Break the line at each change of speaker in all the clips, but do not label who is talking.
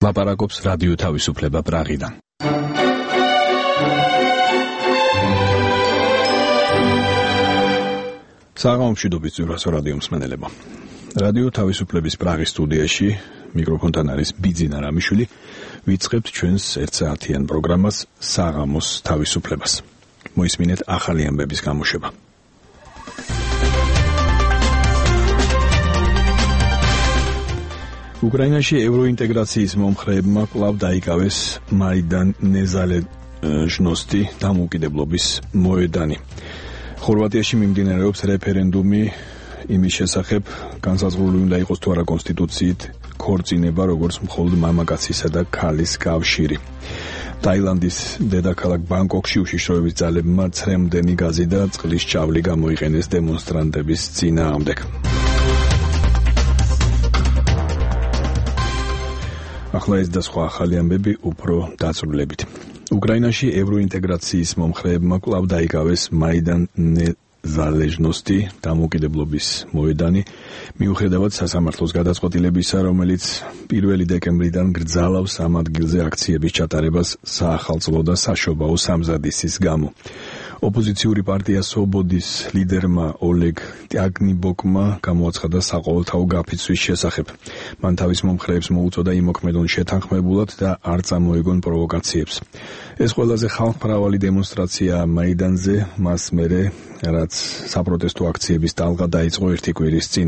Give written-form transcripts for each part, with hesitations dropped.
ლაპარაკობს რადიო თავისუფლება პრაღიდან. საღამომშვიდობის ძვირასო რადიო მსმენელებო. რადიო თავისუფლების პრაღის სტუდიაში მიკროფონთან არის ბიძინა რამიშვილი. ვიწყებთ ჩვენს 1 საათიან პროგრამას საღამოს თავისუფლებას. მოისმინეთ ახალი ამბების გამოშვება. უკრაინაში ევროინტეგრაციის მომხრეებმა კვლავ დაიკავეს მაიდან ნეზალეჟნოსტი დამოუკიდებლობის მოედანი. ხორვატიაში მიმდინარეობს რეფერენდუმი იმის შესახებ, განსაზღვრული უნდა იყოს თუ არა კონსტიტუციით ქორწინება როგორც მხოლოდ მამაკაცისა და ქალის კავშირი. ტაილანდის დედაქალაქ ბანგკოკში უშიშროების ძალებმა ცრემლდენი გაზი და წყლის ჭავლი გამოიყენეს დემონსტრანტების წინააღმდეგ. ახლა ეს და სხვა ახალი ამბები უფრო დაწვრილებით. უკრაინაში ევროინტეგრაციის მომხრეებმა კვლავ დაიკავეს მაიდან ნეზალეჟნოსტი დამოუკიდებლობის მოედანი, მიუხედავად სასამართლოს გადაწყვეტილებისა, რომელიც 1 დეკემბრიდან გრძალავს ამ ადგილზე აქციების ჩატარებას საახალწლო და საშობაო სამზადისის გამო. ოპოზიციური პარტია სობოდის ლიდერმა ოლეგ ტიაგნიბოკმა გამოაცხადა საყოველთაო გაფიცვის შესახებ. მან თავის მომხრეებს მოუწოდა იმოქმედონ შეთანხმებულად და არ წამოეგონ პროვოკაციებს. ეს ყველაზე ხალხმრავალი დემონსტრაციაა მაიდანზე, მას მერე რაც საპროტესტო აქციების ტალღა დაიწყო 1 კვირის წინ.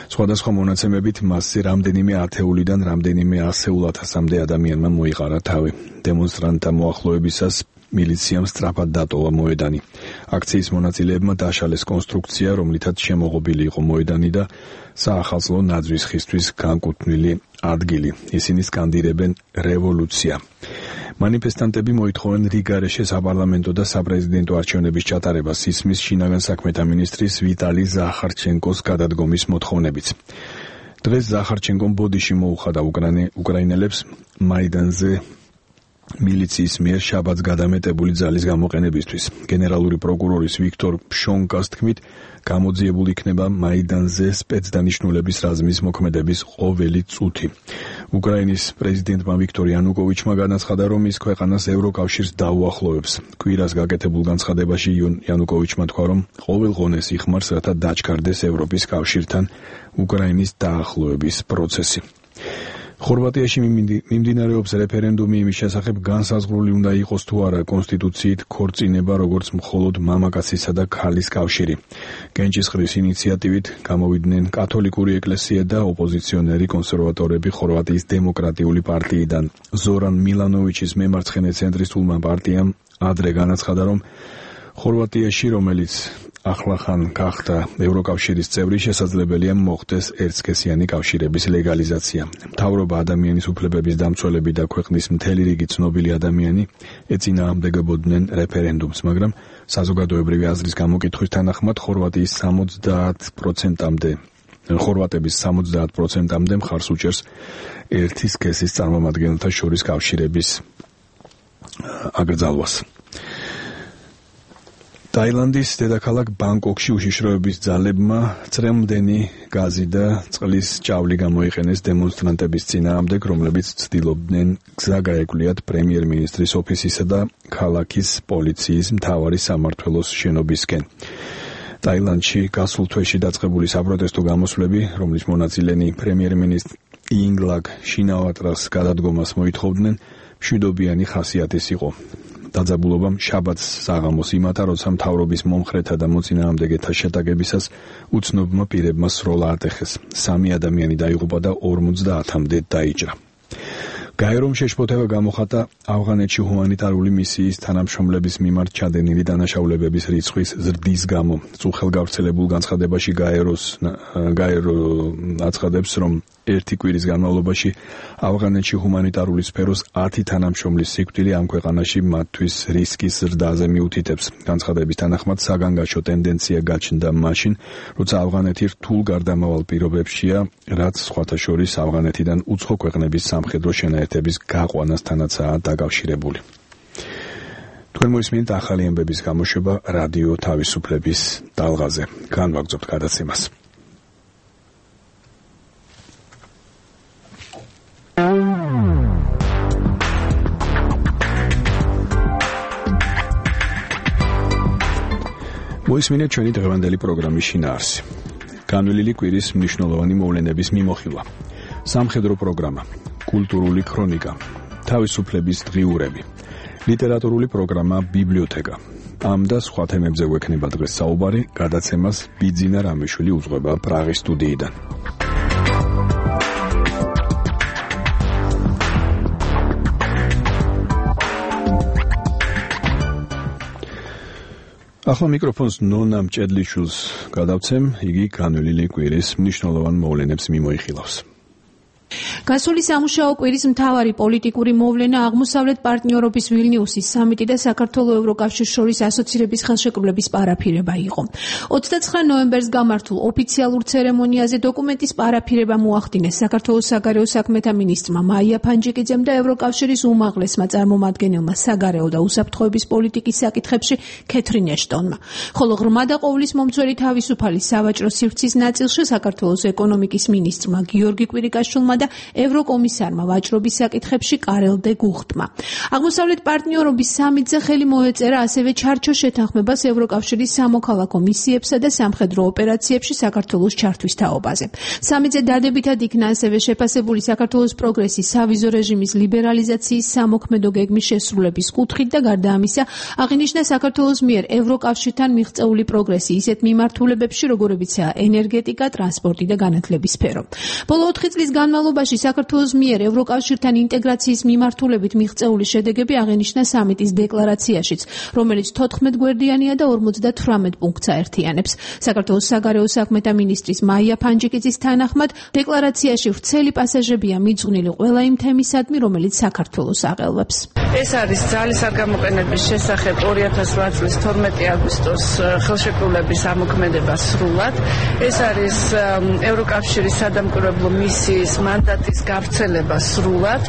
სხვადასხვა მონაცემებით მასზე რამდენიმე ათეულიდან რამდენიმე ასეულ ათასამდე ადამიანმა მოიყარა თავი. დემონსტრანტთა მოახლოებისას მილიციამ სწრაფად დატოვა მოედანი. აქციის მონაწილეებმა დაშალეს კონსტრუქცია, რომლითაც შემოღობილი იყო მოედანი და საახალწლო ნაძვის ხისთვის განკუთვნილი ადგილი. ისინი სკანდირებენ რევოლუცია. მანიფესტანტები მოითხოვენ რიგარეშე საპარლამენტო და საპრეზიდენტო არჩევნების ჩატარებას, ისმის შინაგან საქმეთა მინისტრის ვიტალი ზახარჩენკოს გადადგომის მოთხოვნებით. დღეს ზახარჩენკომ ბოდიში მოუხადა უკრაინელებს მაიდანზე მილიციის მიერ შაბათს გადამეტებული ძალის გამოყენებისთვის. გენერალური პროკურორის ვიქტორ ფშონკას თქმით, გამოძიებული იქნება მაიდანზე სპეცდანიშნულების რაზმის მოქმედების ყოველი წუთი. უკრაინის პრეზიდენტმა ვიქტორ იანუკოვიჩმა განაცხადა, რომ ის ქვეყანას ევროკავშირს დაუახლოვებს. კვირას გაკეთებულ განცხადებაში იანუკოვიჩმა თქვა, რომ ყოველ ღონეს იხმარს, რათა დაჩქარდეს ევროპის კავშირთან უკრაინის დაახლოების პროცესი. ხორვატიაში მიმდინარეობს რეფერენდუმი იმის შესახებ, განსაზღვრული უნდა იყოს თუ არა კონსტიტუციით ქორწინება როგორც მხოლოდ მამაკაცისა და ქალის კავშირი. გენჭისყრის ინიციატივით გამოვიდნენ კათოლიკური ეკლესია და ოპოზიციონერი კონსერვატორები ხორვატიის დემოკრატიული პარტიიდან. ზორან მილანოვიჩის მემარცხენე ცენტრისტულმა პარტიამ ადრე განაცხადა, რომ ხორვატიაში, რომელიც ახლახან გახდა ევროკავშირის წევრი, შესაძლებელია მოხდეს ერთსქესიანი კავშირების ლეგალიზაცია. მთავრობა, ადამიანის უფლებების დამცველები და ქვეყნის მთელი რიგი ცნობილი ადამიანი ეწინააღმდეგებოდნენ რეფერენდუმს, მაგრამ საზოგადოებრივი აზრის გამოკითხვის თანახმად ხორვატების 70%-მდე მხარს უჭერს ერთი სქესის წარმომადგენელთა შორის კავშირების აკრძალვას. ტაილანდის დედაქალაქ ბანგკოკში უშიშროების ძალებმა ცრემლდენი გაზი და წყლის ჭავლი გამოიყენეს დემონსტრანტების წინააღმდეგ, რომლებიც ცდილობდნენ გზა გაეკვლიათ პრემიერ-მინისტრის ოფისისა და ქალაქის პოლიციის მთავარი სამმართველოს შენობისკენ. ტაილანდში გასულ თვეში დაწყებული საპროტესტო გამოსვლები, რომლის მონაწილენი პრემიერ-მინისტრი ინგლაკ შინავატრას გადადგომას მოითხოვდნენ, მშვიდობიანი ხასიათის იყო. დაძაბულობამ შაბათს საღამოს იმატა, როცა მთავრობის მომხრეთა და მოწინააღმდეგეთა შეტაკებისას უცნობმა პირებმა სროლა ატეხეს. 3 ადამიანი დაიღუპა და 50-მდე დაიჭრა. გაერომ შეშფოთება გამოხატა ავღანეთში ჰუმანიტარული მისიის თანამშრომლების მიმართ ჩადენილი დანაშაულებების რიცხვის ზრდის გამო. წუხელ გავრცელებულ განცხადებაში გაერო აცხადებს, რომ 1 კვირის განმავლობაში ავღანეთში ჰუმანიტარული სფეროს 10 თანამშრომლის სიკვდილი ამ ქვეყანაში მათთვის რისკის ზრდაზე მიუთითებს. განცხადების თანახმად საგანგაშო ტენდენცია გაჩნდა მაშინ, როცა ავღანეთი რთულ გარდამავალ პირობებშია, რაც სხვათა შორის ავღანეთიდან უცხო ქვეყნების სამხედრო შენაერთების გაყვანასთანაცაა დაკავშირებული. თქვენ მოისმინეთ ახალი ამბების გამოშვება რადიო თავისუფლების ტალღაზე. განვაგრძობთ გადაცემას. მოისმინეთ ჩვენი დღევანდელი პროგრამის შინაარსი. განვლილი კვირის მნიშვნელოვანი მოვლენების მიმოხილვა. სამხედრო პროგრამა, კულტურული ქრონიკა, თავისუფლების დღიურები, ლიტერატურული პროგრამა ბიბლიოთეკა. ამ და სხვა თემებზე გვექნება დღეს საუბარი, გადაცემას ბიძინა რამიშვილი უძღვება პრაღის სტუდიიდან. ახლა მიკროფონს ნონა მჭედლიშვილს გადავცემ, იგი განვლილი კვირის მნიშვნელოვან მოვლენებს მიმოიხილავს.
გასული სამუშაო კვირის მთავარი პოლიტიკური მოვლენა აღმოსავლეთ პარტნიორობის ვილნიუსის სამიტი და საქართველოს ევროკავშირის შორის ასოცირების ხელშეკრულების პარაფირება იყო. 29 ნოემბერს გამართულ ოფიციალურ ცერემონიაზე დოკუმენტის პარაფირება მოახდინეს საქართველოს საგარეო საქმეთა მინისტრმა მაია ფანჯიკიძემ და ევროკავშირის უმაღლესმა წარმომადგენელმა საგარეო და უსაფრთხოების პოლიტიკის საკითხებში კეთრინ ეშტონმა. ხოლო ღრმა და ყოვლის მომცველი თავისუფალი სავაჭრო სივრცის ნაწილში საქართველოს ეკონომიკის მინისტრმა გიორგი კვირიკაშვილმა და ევროკომისარმა ვაჭრობის საკითხებში კარელ დე გუხტმა. აღმოსავლეთ პარტნიორობის სამიტზე ხელი მოეწერა ასევე ჩარჩო შეთანხმებას ევროკავშირის სამოქალაქო მისიებსა და სამხედრო ოპერაციებში საქართველოს ჩართვის თაობაზე. სამიტზე დადებითად იქნა ასევე შეფასებული საქართველოს პროგრესის სავიზო რეჟიმის ლიბერალიზაციის სამოქმედო გეგმის შესრულების კუთხით და გარდა ამისა აღინიშნა საქართველოს მიერ ევროკავშირთან მიღწეული პროგრესი ისეთ მიმართულებებში, როგორებიცაა ენერგეტიკა, ტრანსპორტი და განათლების სფერო. ბოლო 4 წლის განმავლობაში საქართველოს მიერ ევროკავშირთან ინტეგრაციის მიმართულებით მიღწეული შედეგები აღინიშნა სამიტის დეკლარაციაშიც, რომელიც 14 გვერდიანია და 58 პუნქტს აერთიანებს. საქართველოს საგარეო საქმეთა მინისტრის მაია ფანჯიკიძის თანახმად, დეკლარაციაში ვრცელი პასაჟებია მიძღვნილი ყველა იმ თემისადმი, რომელიც საქართველოს აღელვებს.
ეს არის ძალის არ გამოყენების შესახებ 2008 წლის 12 აგვისტოს ხელშეკრულების ამოქმედება სრულად. ეს არის ევროკავშირის სადამკვირვებლო მისიის მანდატის გავრცელება სრულად.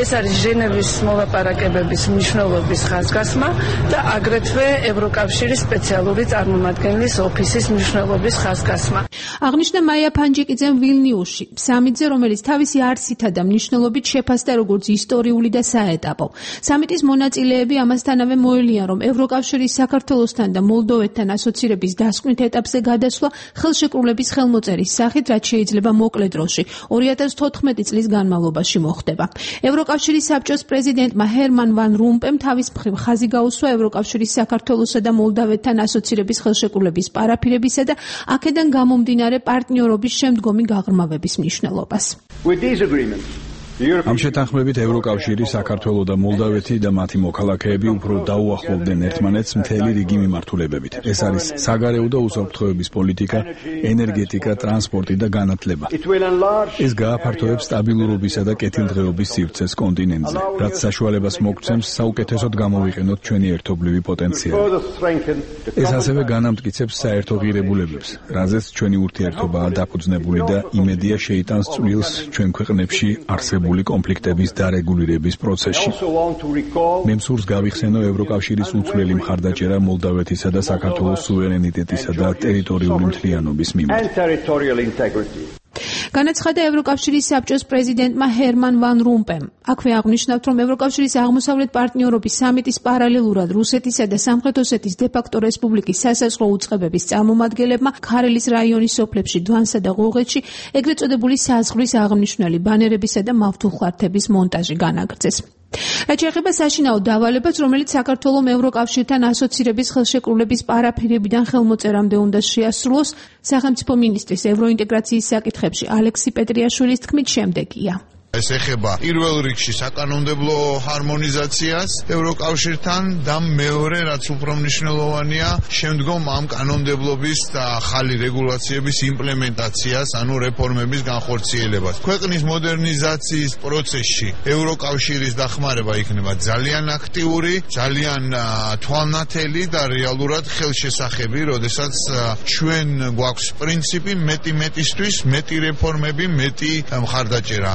ეს არის ჟენევის მოლაპარაკებების მნიშვნელობის ხაზგასმა და აგრეთვე ევროკავშირის სპეციალური წარმომადგენლის ოფისის მნიშვნელობის ხაზგასმა.
აღნიშნა მაია ფანჯიკიძემ ვილნიუსში, სამიტზე, რომელიც თავისი არსითა და მნიშვნელობით შეფასდა როგორც ისტორიული და საეტაპო. სამიტის მონაწილეები ამასთანავე მოელიან, რომ ევროკავშირის საქართველოსთან და მოლდოვეთთან ასოცირების დასკვნით ეტაპზე გადასვლა ხელშეკრულების ხელმოწერის სახით, რაც შეიძლება მოკლე დროში 2014 წლის განმავლობაში მოხდება. ევროკავშირის საბჭოს პრეზიდენტმა ჰერმან ვან რომპემ თავის მხრივ ხაზი გაუსვა ევროკავშირის საქართველოსა და მოლდოვეთთან ასოცირების ხელშეკრულების პარაფირებისა და აქედან გამომდინარე პარტნიორობის შემდგომი გაღრმავების მნიშვნელობას.
ამ შეთანხმებით ევროკავშირი, საქართველო და მოლდოვეთი და მათი მოქალაქეები უფრო დაუახლოვდნენ ერთმანეთს მთელი რიგი მიმართულებებით. ეს არის საგარეო და უსაფრთხოების პოლიტიკა, ენერგეტიკა, ტრანსპორტი და განათლება. ეს გააფართოებს სტაბილურობისა და კეთილდღეობის სივრცეს კონტინენტზე, რაც საშუალებას მოგცემს საუკეთესოდ გამოვიყენოთ ჩვენი ერთობლივი პოტენციალი. ეს ასევე განამტკიცებს საერთო ღირებულებებს, რაზეც ჩვენი ურთიერთობაა დაფუძნებული და იმედია შეიტანს წვლილს ჩვენ ქვეყნებში არსებულ კონფლიქტების დარეგულირების პროცესში. მე მსურს გავიხსენო ევროკავშირის უცვლელი მხარდაჭერა მოლდოვეთისა და საქართველოს სუვერენიტეტისა და ტერიტორიული მთლიანობის მიმართ.
განაცხადა ევროკავშირის საბჭოს პრეზიდენტმა ჰერმან ვან რომპემ. აქვე აღნიშნავთ, რომ ევროკავშირის აღმოსავლეთ პარტნიორობის სამიტის პარალელურად რუსეთისა და სამხრეთ ოსეთის დე-ფაქტო რესპუბლიკის სასაზღვრო უწყებების წარმომადგენლებმა ქარელის რაიონის სოფლებში დვანსა და ღოღეთში ეგრეთ წოდებული საზღვრის აღნიშნული ბანერებისა და მავთულხარდების მონტაჟი განაგრძეს. რაც შეეხება საშინაო დავალებას, რომელიც საქართველოს ევროკავშირთან ასოცირების ხელშეკრულების პარაფირებიდან ხელმოწერამდე უნდა შეასრულოს, სახელმწიფო მინისტრის ევროინტეგრაციის საკითხებში ალექსი პეტრიაშვილის თქმით შემდეგია.
ეს ეხება პირველ რიგში საკანონმდებლო ჰარმონიზაციას ევროკავშირთან და მეორე, რაც უფრო მნიშვნელოვანია, შემდგომ ამ კანონმდებლობის და ახალი რეგულაციების იმპლემენტაციას, ანუ რეფორმების განხორციელებას. ქვეყნის მოდერნიზაციის პროცესში ევროკავშირის დახმარება იქნება ძალიან აქტიური, ძალიან თვალნათელი და რეალურად ხელშესახები, როდესაც ჩვენ გვაქვს პრინციპი მეტი მეტისთვის, მეტი რეფორმები, მეტი მხარდაჭერა.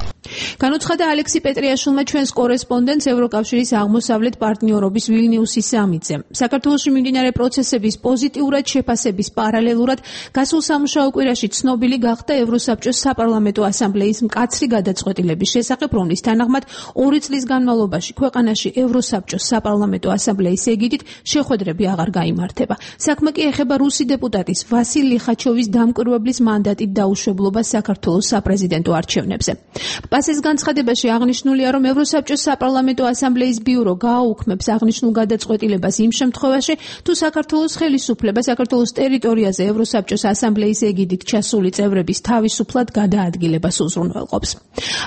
განუცხადა ალექსი პეტრიაშვილმა ჩვენს კორესპონდენტს ევროკავშირის აღმოსავლეთ პარტნიორობის ვილნიუსის სამიტზე. საქართველოში მიმდინარე პროცესების პოზიტიურად შეფასების პარალელურად გასულ სამუშაო კვირაში ცნობილი გახდა ევროსაბჭოს საპარლამენტო ასამბლეის მკაცრი გადაწყვეტილების შესახებ, რომლის თანახმად 2 წლის განმავლობაში ქვეყანაში ევროსაბჭოს საპარლამენტო ასამბლეის ეგიდით შეხვედრები აღარ გაიმართება. საქმე კი ეხება რუსი დეპუტატის ვასილ ლიხაჩოვის დამკვირვებლის მანდატით დაუშვებლობას საქართველოს საპრეზიდენტო არჩევნებზე. პასის განცხადებაში აღნიშნულია, რომ ევროსაბჭოს საპარლამენტო ასამბლეის ბიურო გააუქმებს აღნიშნულ გადაწყვეტილებას იმ შემთხვევაში, თუ საქართველოს ხელისუფლება საქართველოს ტერიტორიაზე ევროსაბჭოს ასამბლეის ეგიდით ჩასული წევრების თავისუფლად გადაადგილებას უზრუნველყოფს.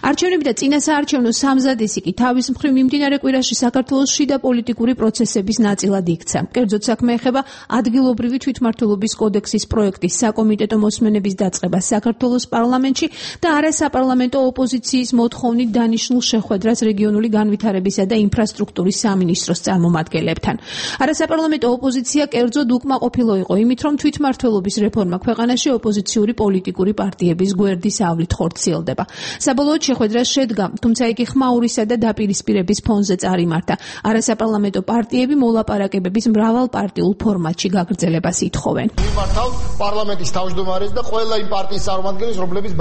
არჩევნები და წინასაარჩევნო სამზადისი კი თავის მხრივ მიმდინარე კვირაში საქართველოს შიდა პოლიტიკური პროცესების ნაწილად იქცა. კერძოდ საქმე ეხება ადგილობრივი თვითმმართველობის კოდექსის პროექტის საკომიტეტო მოსმენების დაწყებას საქართველოს პარლამენტში და არასაპარლამენტო ოპოზიციის მოთხოვნით დანიშნულ შეხვედრას რეგიონული განვითარებისა და ინფრასტრუქტურის სამინისტროს წარმომადგენლებთან. არასაპარლამენტო ოპოზიცია კერძოდ უკმაყოფილო იყო იმით, რომ თვითმმართველობის რეფორმა ქვეყანაში ოპოზიციური პოლიტიკური პარტიების გვერდის ავლით ხორციელდება. საბოლოოდ შეხვედრა შედგა, თუმცა იგი ხმაურისა და დაპირისპირების ფონზე წარიმართა. არასაპარლამენტო პარტიები მოლაპარაკებების მრავალპარტიულ ფორმატში გაგრძელებას ითხოვენ.
მიმართავ პარლამენტის თავმჯდომარეს და ყველა იმ პარტიის წარმომადგენლებს, რომლებიც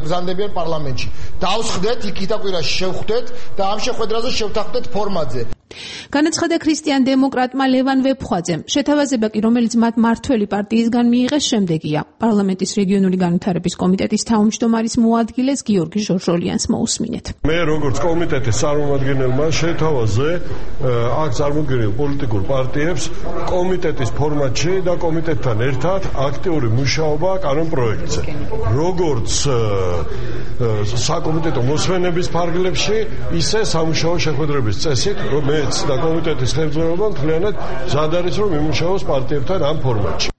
ბრძანდებიან პარლამენტში. დავსხდეთ, იქითა კვირაში შევხვდეთ და ამ შეხვედრაზე შევთანხმდეთ ფორმატზე.
განაცხადა ქრისტიან დემოკრატმა ლევან ვეფხვაძემ. შეთავაზება კი, რომელიც მათ მართველი პარტიისგან მიიღეს, შემდეგია. პარლამენტის რეგიონული განვითარების კომიტეტის თავმჯდომარის მოადგილეს გიორგი ჟორჟოლიანს მოусმინეთ.
მე როგორც კომიტეტის წარმომადგენელმა შეთავაზე აქ წარმოდგენილ პოლიტიკურ პარტიებს კომიტეტის ფორმატში და კომიტეტთან ერთად აქტიური მუშაობა კანონ პროექტზე. როგორც საკომიტეტო მოსმენების ფარგლებში, ისე სამუშაო შეხვედრების წესით, რომ მეც და კომიტეტის ხელმძღვანელობა მთლიანად მზად არის, რომ იმუშაოს პარტიებთან ამ ფორმატში.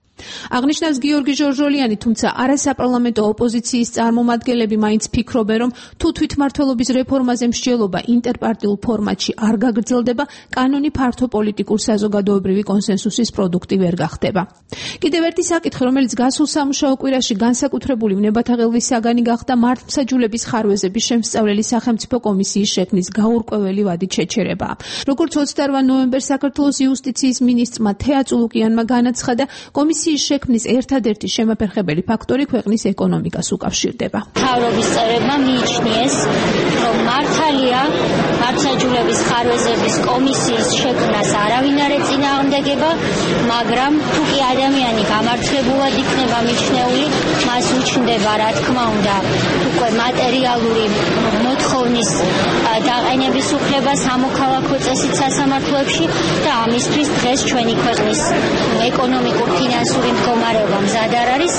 აღნიშნავს გიორგი ჟორჟოლიანი, თუმცა არასაპარლამენტო ოპოზიციის წარმომადგენლები მაინც ფიქრობენ, რომ თუ თვითმმართველობის რეფორმაზე მსჯელობა ინტერპარტიულ ფორმატში არ გაგრძელდება, კანონი ფართო პოლიტიკურ საზოგადოებრივი კონსენსუსის პროდუქტი ვერ გახდება. კიდევ ერთი საკითხი, რომელიც გასულ სამუშაო კვირაში განსაკუთრებული ვნებათა ღელვის საგანი გახდა, მართლმსაჯულების ხარვეზების შემსწავლელი სახელმწიფო კომისიის შექმნის გაურკვეველი ვადით შეჩერებაა. როგორც 28 ნოემბერს საქართველოს იუსტიციის მინისტრმა თეა წულუკიანმა განაცხადა, კომისიის შექმნის ერთადერთი შემაფერხებელი ფაქტორი ქვეყნის ეკონომიკას უკავშირდება.
მთავრობის წევრებმა მიიჩნიეს, რომ მართალია მართლმსაჯულების ხარვეზების კომისიის შექმნას არავინ არ ეწინააღმდეგება, მაგრამ თუ კი ადამიანი გამართლებულად იქნება მიჩნეული, მას უჩნდება, რა თქმა უნდა, უკვე მატერიალური მოთხოვნის დაყენების უფლება სამოქალაქო წესით სასამართლოებში და ამისთვის დღეს ჩვენი ქვეყნის ეკონომიკურ ფინანსური მდგომარეობა მზად არ არის.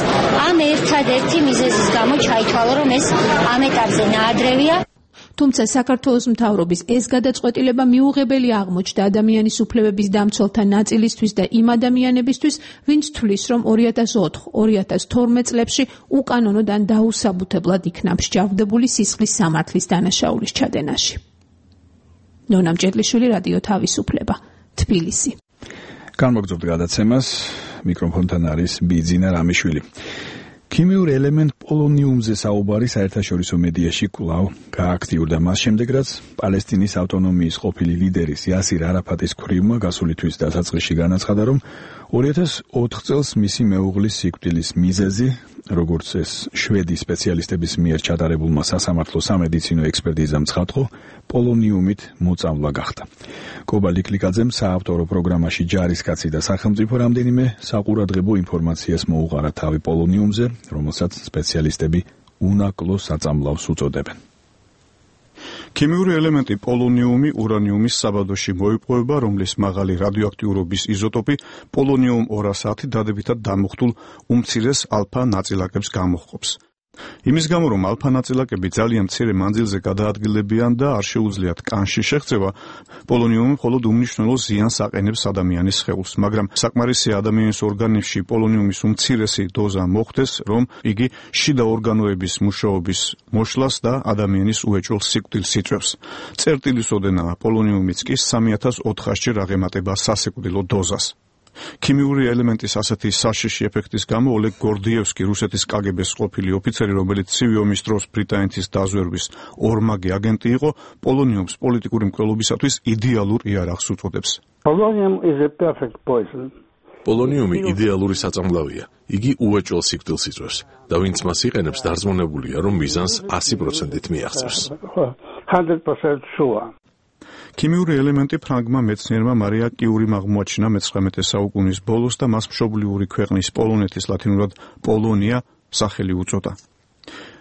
ამ ერთადერთი მიზეზის გამო ჩაითვალა, რომ ეს ამ ეტაპზე ნაადრევია.
თუმცა საქართველოს მთავრობის ეს გადაწყვეტილება მიუღებელი აღმოჩნდა ადამიანის უფლებების დამცველთა ნაწილისთვის და იმ ადამიანებისთვის, ვინც თვლის, რომ 2004-2012 წლებში უკანონოდ ან დაუსაბუთებლად იქნა მსჯავრდებული სისხლის სამართლის დანაშაულის ჩადენაში. ნონა მჭედლიშვილი, რადიო თავისუფლება, თბილისი.
განმოგრძობთ გადაცემას, მიკროფონთან არის ბიძინა რამიშვილი. ქიმიურ ელემენტ პოლონიუმზე საუბარი საერთაშორისო მედიაში კვლავ გააქტიურდა მას შემდეგ, რაც პალესტინის ავტონომიის ყოფილი ლიდერის იასირ არაფატის ქვრივმა გასული თვის დასაწყისში განაცხადა, რომ 2004 წელს მისი მეუღლის სიკვდილის მიზეზი, როგორც ეს შვედი სპეციალისტების მიერ ჩატარებულმა სასამართლო სამედიცინო ექსპერტიზამ ცხადყო, პოლონიუმით მოწამვლა გახდა. კობა ლიკლიკაძემ საავტორო პროგრამაში ჯარისკაცი და სახელმწიფო რამდენიმე საყურადღებო ინფორმაციას მოუყარა თავი პოლონიუმზე, რომელსაც სპეციალისტები უნაკლო საწამლავს უწოდებენ.
ქიმიური ელემენტი პოლონიუმი ურანიუმის საბადოში მოიპოვება, რომლის მაღალი რადიოაქტიურობის იზოტოპი პოლონიუმ 210 დადებითად დამუხტულ უმცირეს ალფა ნაწილაკებს გამოჰყოფს. იმის გამო, რომ ალფა ნაწილაკები ძალიან მცირე მანძილზე გადაადგილებიან და არ შეუძლიათ კანში შეღწევა, პოლონიუმი მხოლოდ უმნიშვნელო ზიანს აყენებს ადამიანის სხეულს, მაგრამ საკმარისია ადამიანის ორგანიზმში პოლონიუმის უმცირესი დოზა მოხდეს, რომ იგი შიდა ორგანოების მუშაობის მოშლას და ადამიანის უეჭველ სიკვდილს იწვევს. წერტილის ოდენაა პოლონიუმიც კი 3400-ჯერ აღემატება სასიკვდილო დოზას. ქიმიური ელემენტის ასეთი საშიში ეფექტის გამო ოლეგ გორდიევსკი, რუსეთის კგბ-ს ყოფილი ოფიცერი, რომელიც ცივი ომის დროს ბრიტანეთის დაზვერვის ორმაგი აგენტი იყო, პოლონიუმს პოლიტიკური მკვლელობისათვის იდეალურ იარაღს უწოდებს.
პოლონიუმი იდეალური საწამლავია. იგი უეჭველ სიკვდილს იწვევს და ვინც მას იყენებს, დარწმუნებულია, რომ მიზანს 100%-ით მიაღწევს.
100% sure.
ქიმიური ელემენტი ფრანგმა მეცნიერმა მარია კიურიმ აღმოაჩინა მე-19 საუკუნის ბოლოს და მას მშობლიური ქვეყნის პოლონეთის ლათინურად პოლონია სახელი უწოდა.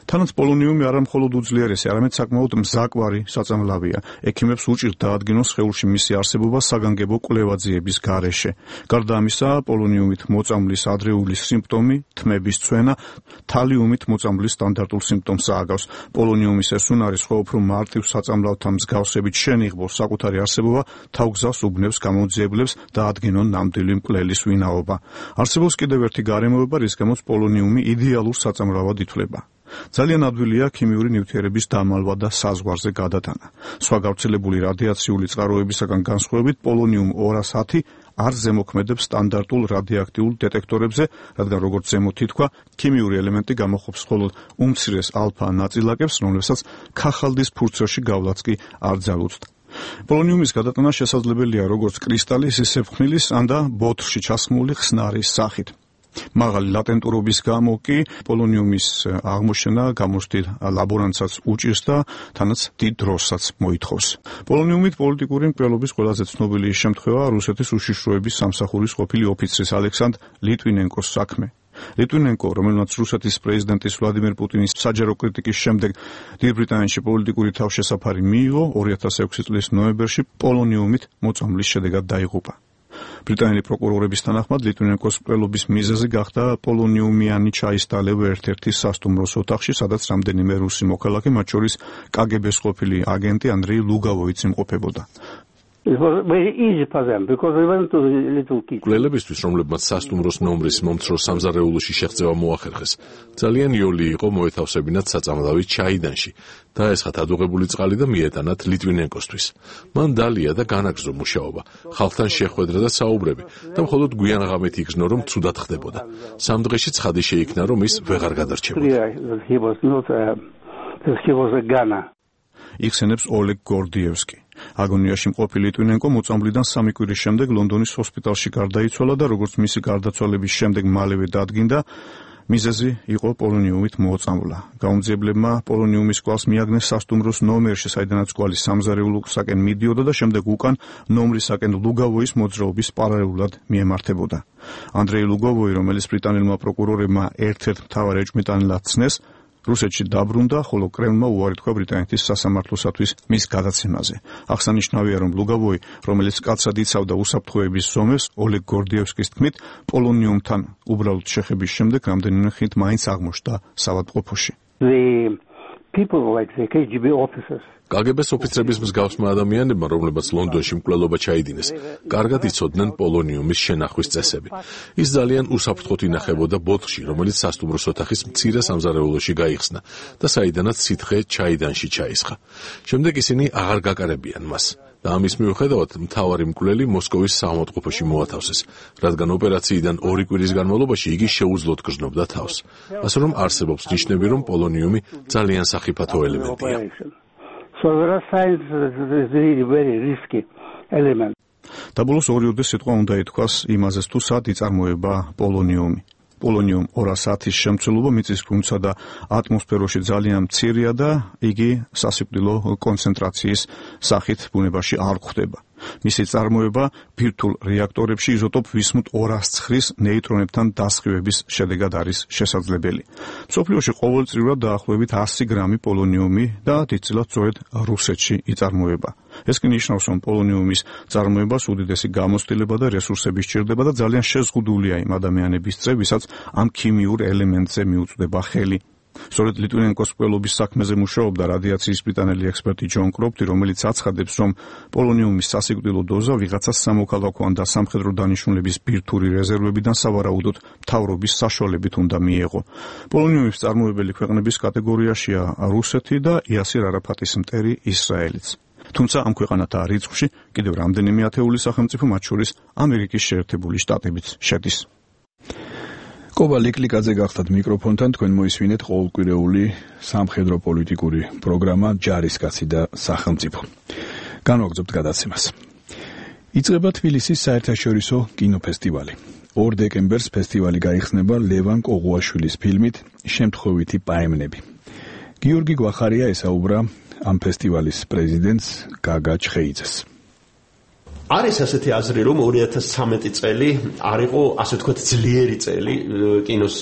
თანაც პოლონიუმი არა მხოლოდ უძლიერესი, არამედ საკმაოდ მზაკვარი საწამლავია. ექიმებს უჭირთ დაადგინოს სხეულში მისი არსებობა საგანგებო კვლევა-ძიების გარეშე. გარდა ამისა, პოლონიუმით მოწამვლის ადრეული სიმპტომი, თმების ცვენა, თალიუმით მოწამვლის სტანდარტულ სიმპტომს ააგავს. პოლონიუმის ეს უნარი სხვა უფრო მარტივ საწამლავთან მსგავსებით შენიღბოს საკუთარი არსებობა თავგზავს უბნებს გამოძიებლებს დაადგინონ ნამდვილი მკვლელის ვინაობა. არსებობს კიდევ ერთი გარემოება, რის გამოც პოლონიუმი იდეალურ საწამლავად ითვლება. ძალიან ადვილია ქიმიური ნივთიერების დამალვა და საზღვარზე გადატანა. სხვა გავრცელებული რადიაციული წყაროებისაგან განსხვავებით, პოლონიუმ 210 არ ზემოქმედებს სტანდარტულ რადიოაქტიულ დეტექტორებზე, რადგან როგორც ზემოთ ითქვა, ქიმიური ელემენტი გამოხობს მხოლოდ უმცირეს ალფა ნაწილაკებს, რომლებსაც ქახალდის ფურცელში გავლაც კი არ ძალუძდა. პოლონიუმის გადატანა შესაძლებელია როგორც კრისტალის, ისე ფხვნილის ან და ბოთლში ჩასხმული ხსნარის სახით. მაღალი ლატენტურობის გამო კი პოლონიუმის აღმოჩენა გამოსtildeულ ლაბორანტსაც უჭირს და თანაც დიდ დროსაც მოითხოვს. პოლონიუმით პოლიტიკური მკვლელობის ყველაზე ცნობილი შემთხვევა რუსეთის უშიშროების სამსახურის ყოფილი ოფიცრის ალექსანდრ ლიტვინენკოს საქმე. ლიტვინენკო, რომელმაც რუსეთის პრეზიდენტის ვლადიმერ პუტინის საჯარო კრიტიკის შემდეგ დიდ ბრიტანეთში პოლიტიკური თავშესაფარი მიიღო, 2006 წლის ნოემბერში პოლონიუმით მოწამვლის შედეგად დაიღუპა. ბრიტანელი პროკურორების თანახმად ლიტვინენკოს მკვლელობის მიზეზი გახდა პოლონიუმიანი ჩაის დალევა ერთ-ერთი სასტუმროს ოთახში, სადაც რამდენიმე რუსი მოქალაქე, მათ შორის კგბ-ს ყოფილი აგენტი ანდრეი ლუგავოიც იმყოფებოდა.
It was very easy for them because we went to the little kitchen.
მკვლელებისთვის, რომლებმაც სასტუმროს ნომრის მომცრო სამზარეულოში შეღწევა მოახერხეს, ძალიან იოლი იყო მოეთავსებინათ საწამლავი ჩაიდანში, დაესხათ ადუღებული წყალი და მიეტანათ ლიტვინენკოსთვის. მან დალია და განაგრძო მუშაობა, ხალხთან შეხვედრა და საუბრები და მხოლოდ გვიან ღამით იგრძნო, რომ ცუდად ხდებოდა. სამ დღეში ცხადი შეიქმნა, რომ ის ვეღარ გადარჩებოდა.
იხსენებს ოლეგ გორდიევსკი. აგონიაში მყოფი ლიტვინენკო მოწამვლიდან 3 კვირის შემდეგ ლონდონის ჰოსპიტალში გარდაიცვალა და როგორც მისი გარდაცვალების შემდეგ მალევე დადგინდა, მიზეზი იყო პოლონიუმით მოწამვლა. გაუმძიებლებმა პოლონიუმის კვალს მიაგნეს სასტუმროს ნომერში, საიდანაც კვალი სამზარეულოსაკენ მიდიოდა და შემდეგ უკან ნომრისაკენ ლუგავოის მოძრაობის პარალელურად მიემართებოდა. ანდრეი ლუგავოი, რომელიც ბრიტანელმა პროკურორებმა ერთ-ერთ მთავარ ეჭვმიტანილად ცნეს, რუსეთში დაბრუნდა, ხოლო კრემლმა უარი თქვა ბრიტანეთის სასამართლოსათვის მის გადაცემაზე. აღსანიშნავია, რომ ლუგავოი, რომელიც კაცად იცავდა უსაფრთხოების ზომებს, ოლეგ გორდიევსკის თქმით, პოლონიუმთან უბრალოდ შეხების შემდეგ რამდენიმე ხნით მაინც აღმოჩნდა საავადმყოფოში.
კგბ-ს ოფიცრების მსგავსმა ადამიანებმა, რომლებაც ლონდონში მკვლელობა ჩაიდინეს, კარგად იცოდნენ პოლონიუმის შენახვის წესები. ის ძალიან უსაფრთხოდ ინახებოდა ბოთლში, რომელიც სასტუმროს ოთახის მცირე სამზარეულოში გაიხსნა და საიდანაც სითხე ჩაიდანში ჩაისხა. შემდეგ ისინი აღარ გაკარებიან მას და ამის მიუხედავად მთავარი მკვლელი მოსკოვის საავადმყოფოში მოათავსეს, რადგან ოპერაციიდან 2 კვირის განმავლობაში იგი შეუძლოდ გრძნობდა თავს. ასე რომ არსებობს ნიშნები, რომ პოლონიუმი ძალიან სახიფათო ელემენტია.
So there are signs that it is really very risky element.
დაბოლოს ორიოდე სიტყვა უნდა ითქვას იმაზეც, თუ სად იწარმოება პოლონიუმი. პოლონიუმ 210-ის შემცველობა მიწისქვეშა და ატმოსფეროში ძალიან მცირეა და იგი სასიკვდილო კონცენტრაციის სახით ბუნებაში არ გვხვდება. მისი წარმოება ბირთვულ რეაქტორებში იზოტოპ ვისმუტ 209-ის ნეიტრონებთან დასხივების შედეგად არის შესაძლებელი. მსოფლიოში ყოველწლიურად დაახლოებით 100 გრამი პოლონიუმი და დიდწილად სწორედ რუსეთში იწარმოება. ეს კი ნიშნავს, რომ პოლონიუმის წარმოებას უდიდესი გამოცდილება და რესურსები სჭირდება და ძალიან შეზღუდულია იმ ადამიანების წრე, ვისაც ამ ქიმიურ ელემენტზე მიუწვდება ხელი. სწორედ ლიტვინენკოს მკვლელობის საქმეზე მუშაობდა რადიაციის ბრიტანელი ექსპერტი ჯონ კროპტი, რომელიც აცხადებს, რომ პოლონიუმის სასიკვდილო დოზა ვიღაცას სამოქალაქო ან სამხედრო დანიშნულების ბირთვული რეზერვებიდან სავარაუდოდ მთავრობის საშუალებით უნდა მიეღო. პოლონიუმის წარმოებელი ქვეყნების კატეგორიაშია რუსეთი და იასირ არაფატის მტერი ისრაელიც. თუმცა ამ ქვეყანათა რიცხვში კიდევ რამდენიმე ათეული სახელმწიფო, მათ შორის ამერიკის შეერთებული შტატებიც შედის.
კობა ლიკლიკაძე გახდათ მიკროფონთან, თქვენ მოისმინეთ ყოველკვირეული სამხედრო პოლიტიკური პროგრამა ჯარისკაცი და სახელმწიფო. განვაგრძობთ გადაცემას. იწყება თბილისის საერთაშორისო კინოფესტივალი. 2 დეკემბერს ფესტივალი გაიხსნება ლევან კოღუაშვილის ფილმით შემთხვევითი პაემნები. გიორგი გვახარია ესაუბრა ამ ფესტივალის პრეზიდენტს გაგა ჩხეიძეს.
არის ასეთი აზრი, რომ 2013 წელი არ იყო, ასე ვთქვათ, ძლიერი წელი კინოს,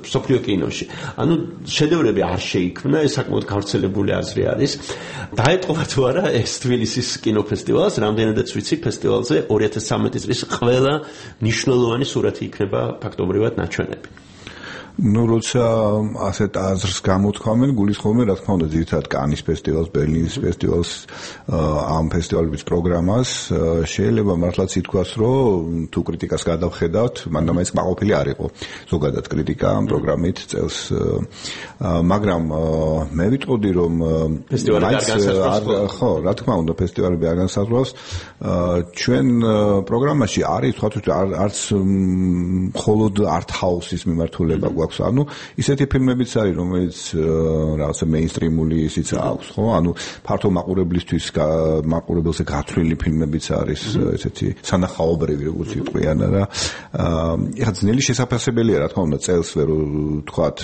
მსოფლიო კინოში. ანუ შედევრები არ შეიქმნა, ეს საკმაოდ გავრცელებული აზრი არის. დაეტყობა თუ არა ეს თბილისის კინოფესტივალს, რამდენადაც ვიცი, ფესტივალზე 2013 წლის ყველა მნიშვნელოვანი სურათი იქნება ფაქტობრივად ნაჩვენები.
როცა ასეთ აზრს გამოთქვამენ, გულისხმობენ, რა თქმა უნდა, ძირითადად კანის ფესტივალს, ბერლინის ფესტივალს, ამ ფესტივალების პროგრამას, შეიძლება მართლაც ითქვას, რომ თუ კრიტიკას გადავხედავთ, მანდამაინც კმაყოფილი არ იყო ზოგადად კრიტიკა ამ პროგრამით წელს, მაგრამ მე ვიტყოდი, რომ ხო, რა თქმა უნდა, ფესტივალები არ განსაზღვრავს, ჩვენ პროგრამაში არის თქვათ, არც მხოლოდ art-house-ის მიმართულება გვაქვს, ანუ ისეთი ფილმებიც არის, რომელიც რაღაცა მეინსტრიმული ისიც აქვს, ხო? ანუ ფართო მაყურებელზე გათვლილი ფილმებიც არის, ესეთი სანახაობრივი, როგორც იყვიან რა. ეხლა ძნელი შესაძლებელია, რა თქმა უნდა, წელს ვერ ვთქვათ,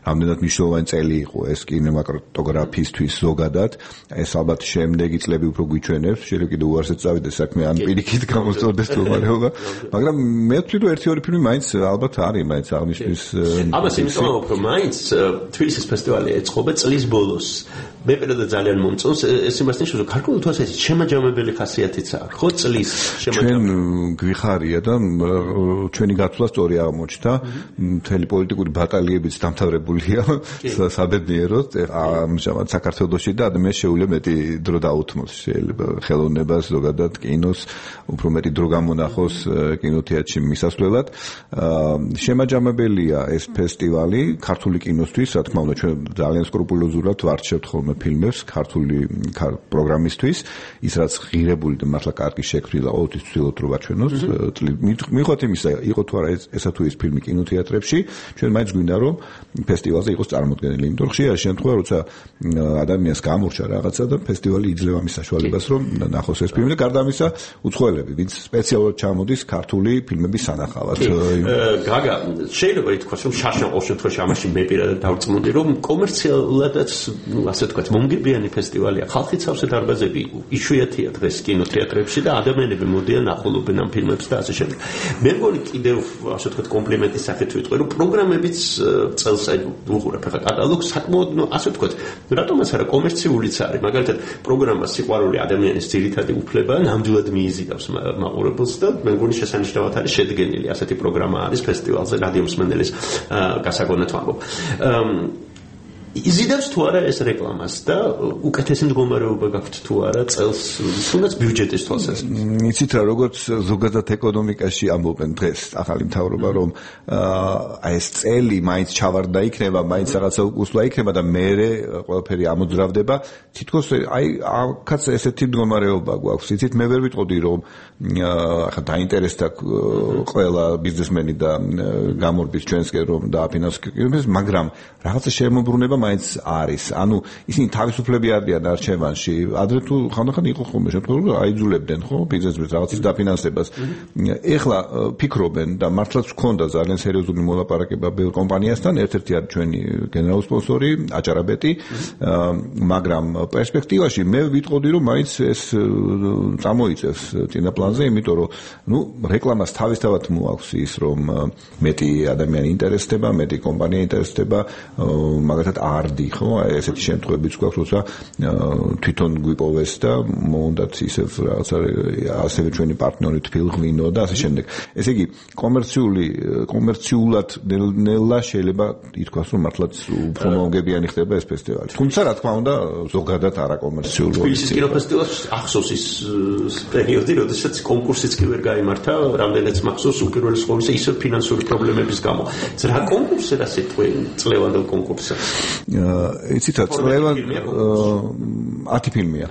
რამდენად მნიშვნელოვანი წელი იყო ეს კინემატოგრაფისთვის ზოგადად. ეს ალბათ შემდეგი წლები უფრო გვიჩვენებს, შეიძლება კიდევ უარსად წავიდეს საქმე, ან პირიქით გამოსწორდეს მდგომარეობა, მაგრამ მე ვთვლი, რომ 1-2 ფილმი მაინც ალბათ არის, მაინც აღნიშნვის
ამას იმიტომ რომ მაინც თბილისის ფესტივალი ეწყობა წლის ბოლოს. მე პირადად ძალიან მომწონს ეს იმას ნიშნავს, რომ გარკვეულ თვალსაზრისით შემაჯამებელი ხასიათიც აქვს. ხო, წლის შემაჯამებელი. ჩვენ
გვიხარია და ჩვენი გათვლა სწორი აღმოჩნდა. მთელი პოლიტიკური ბატალიებიც დამთავრებულია საბედნიეროდ. ამჟამად საქართველოში და ადამიანს შეუძლია მეტი დრო დაუთმოს, შეიძლება ხელოვნებას, ზოგადად კინოს, უფრო მეტი დრო გამონახოს კინოთეატრში მისასვლელად. შემაჯამებელია ეს ფესტივალი ქართული კინოსთვის, რა თქმა უნდა, ჩვენ ძალიან სკრუპულოზურად ვარჩევთ ხოლმე ფილმებს ქართული პროგრამისთვის, ის რაც ღირებული და მართლა კარგი შექმნილა, ყოველთვის ვცდილობთ რომ ვაჩვენოთ. მიუხედავად იმისა, იყო თუ არა ესა თუ ის ფილმი კინოთეატრებში, ჩვენ მაინც გვინდა რომ ფესტივალზე იყოს წარმოდგენილი, იმიტომ რომ ხშირ შემთხვევაში როცა ადამიანს გამორჩა რაღაცა და ფესტივალი იძლევა მის საშუალებას რომ ნახოს ეს ფილმი და გარდა ამისა უცხოელები, ვინც სპეციალურად ჩამოდის ქართული ფილმების სანახავად.
გაგა, შეიძლება ითქვას, რომ შაშა ყოველ შემთხვევაში ამაში მე პირადად დავწმუნდი, რომ კომერციალადაც, ასე ვთქვათ, მომგებიანი ფესტივალია. ხალხი ცავსე დარბაზები იშვიათია დღეს კინოთეატრებში და ადამიანები მოდიან ახლობენ ამ ფილმებს და ასე შემდეგ. მე მგონი კიდევ, ასე ვთქვათ, კომპლიმენტის სახით ვიტყვი, რომ პროგრამებიც წელს უყურებ ახლა კატალოგს, საკმაოდ, ასე ვთქვათ, რატომაც არა კომერციულიც არის. მაგალითად, პროგრამა სიყვარული ადამიანის ძირითადი უფლება ნამდვილად მიიზიდავს მაყურებელს და მე მგონი შესანიშნავად არის შედგენილი ასეთი პროგრამა არის ფესტივალზე, რადიო მსმენელის გასაგონად ვამბობ. იზიდავს თუ არა ეს რეკლამას და უკეთესი მდგომარეობა გაქვთ თუ არა წელს, თუნდაც ბიუჯეტის თვალსაზრისით.
იცით რა, როგორც ზოგადად ეკონომიკაში ამბობენ დღეს ახალი მთავრობა, რომ ეს წელი მაინც ჩავარდა იქნება, მაინც რაღაცა უკუსლა იქნება და მერე ყველაფერი ამოძრავდება. თითქოს აი აქაც ესეთი მდგომარეობა გვაქვს. იცით, მე ვერ ვიტყოდი რომ ახლა დაინტერესდა ყველა ბიზნესმენი და გამორბის ჩვენსკენ რომ დააფინანსოს, მაგრამ რაღაცა შემოbrunება მაინც არის. ანუ ისინი თავისუფლები არიან არჩევანში. ადრე თუ ხანდახან იყო ხოლმე შემთხვევა, რომ აიძულებდნენ ხო ბიზნესმენს რაღაცის დაფინანსებას. ეხლა ფიქრობენ და მართლაც ჰქონდა ძალიან სერიოზული მოლაპარაკება ბევრ კომპანიასთან, ერთ-ერთი არის ჩვენი გენერალური სპონსორი აჭარაბეტი, მაგრამ პერსპექტივაში მე ვიტყოდი რომ მაინც ეს წამოიწევს წინაპლანზე, იმიტომ რომ ნუ რეკლამას თავისთავად მოაქვს ის რომ მეტი ადამიანი ინტერესდება, მეტი კომპანია ინტერესდება, მაგალითად არდი, ხო, ესეთი შემთხვევებიც გვაქვს, როცა თვითონ გვიპოვეს და მოუნდათ ისევ რაღაცა ასევე ჩვენი პარტნიორი თბილღვინო და ასე შემდეგ. ესე იგი, კომერციულად ნელა შეიძლება ითქვას, რომ მართლაც უფრო მომგებიანი ხდება ეს ფესტივალი. თუმცა, რა თქმა უნდა, ზოგადად არაკომერციულად.
თბილისის კინოფესტივალს ახსოვს ის პერიოდი, როდესაც კონკურსიც კი ვერ გაიმართა, რამდენიც მახსოვს უპირველეს ყოვლისა ისევ ფინანსური პრობლემების გამო. რა კონკურსი რა სიტყვი წლევანდელ კონკურსზე?
იცით რა წლევან 10 ფილმია.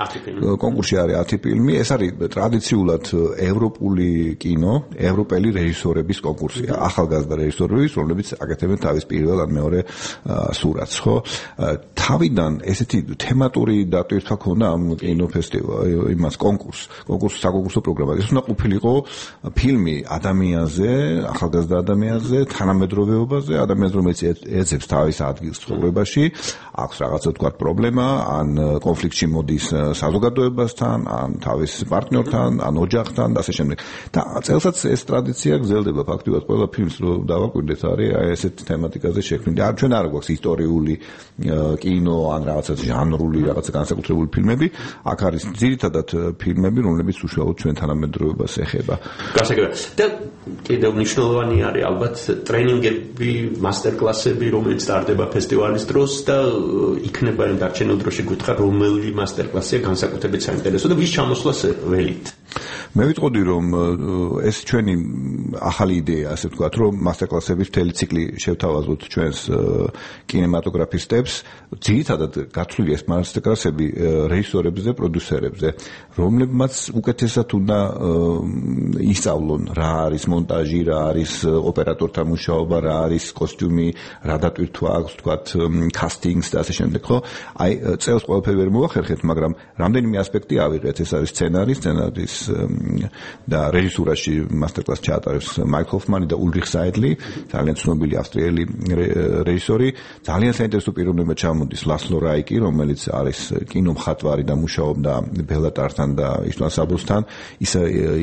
კონკურსში არის 10 ფილმი, ეს არის ტრადიციულად ევროპული კინო, ევროპელი რეჟისორების კონკურსია. ახალგაზრდა რეჟისორები, რომლებიც აკეთებენ თავის პირველ ან მეორე სურათს, ხო? თავიდან ესეთი თემატური დატვირთვა ქონდა ამ კინოფესტივალ იმას საკონკურსო პროგრამა. ეს უნდა ყოფილიყო ფილმი ადამიანზე, ახალგაზრდა ადამიანზე, თანამედროვეობაზე, ადამიანზე, რომელიც ეძებს თავის ადგილს ცხოვრებაში, აქვს რაღაცა თქვა პრობლემა, ან კონფლიქტში მოდის საზოგადოებასთან, ან თავის პარტნიორთან, ან ოჯახთან და ასე შემდეგ. და წელსაც ეს ტრადიცია გრძელდება ფაქტობრივად ყველა ფილმს რო დავაკვირდეთ არის ესეთი თემატიკაზე შექმნილი. არ ჩვენ არ გვაქვს ისტორიული კინო ან რაღაცა ჟანრული რაღაცა განსაკუთრებული ფილმები, აქ არის ძირითადად ფილმები, რომლებიც უშუალოდ ჩვენ თანამედროვეობას ეხება.
გასაგებია. და კიდევ მნიშვნელოვანი არის ალბათ ტრენინგები, მასტერკლასები, რომელიც ტარდება ფესტივალის დროს და იქნება იმ დარჩენილ დროში გითხრა რომელი მასტერკლასია განსაკუთრებით საინტერესო და ვის ჩამოსვლას ველით.
მე ვიტყოდი რომ ეს ჩვენი ახალი იდეა, ასე ვთქვათ, რომ მასტერკლასების მთელი ციკლი შევთავაზოთ ჩვენს კინემატოგრაფისტებს, ძირითადად გათვლილი ეს მასტერკლასები რეჟისორებზე, პროდიუსერებზე, რომლებმაც უკეთესად უნდა ისწავლონ რა არის მონტაჟი, რა არის ოპერატორთა მუშაობა, რა არის კოსტიუმი, რა დატვირთვა აქვს, ვთქვათ, კასტინგს და ასე შემდეგ, ხო? აი, წელს ყველაფერი ვერ მოახერხეთ, მაგრამ რამდენიმე ასპექტი ავიღეთ, ეს არის სცენარის და რეჟისურაში მასტერკლასს ჩაატარებს მაიკლ ჰოფმანი და ულრიხ ზაიდლი, ძალიან ცნობილი ავსტრიელი რეჟისორი. ძალიან საინტერესო პიროვნება ჩამოდის ლასლო რაიკი, რომელიც არის კინომხატვარი და მუშაობდა ბელატართან და იშტვან საბოსთან. ის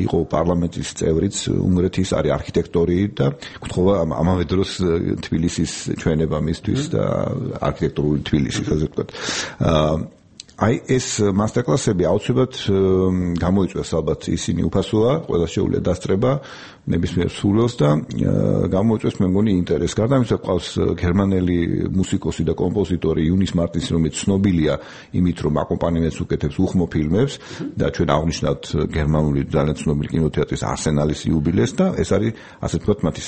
იყო პარლამენტის წევრიც, უნგრეთის არის არქიტექტორი და გთხოვა ამავე დროს თბილისის ჩვენება მისთვის და არქიტექტურული თბილისი, ასე ვთქვათ. აი ეს მასტერკლასები აუცილებლად გამოიწვევს ალბათ ისინი უფასოა, ყველა შეუძლია დასწრება ნებისმიერ სურვილს და გამოიწვევს მე მგონი ინტერესს. გარდა ამისა ყავს გერმანელი მუსიკოსი და კომპოზიტორი იუნის მარტინსი, რომელიც ცნობილია იმით, რომ აკომპანემენტს უკეთებს უხმო ფილმებს და ჩვენ აღნიშნავთ გერმანული ძალიან ცნობილი კინოთეატრის არსენალის იუბილეს და ეს არის ასე ვთქვათ მათი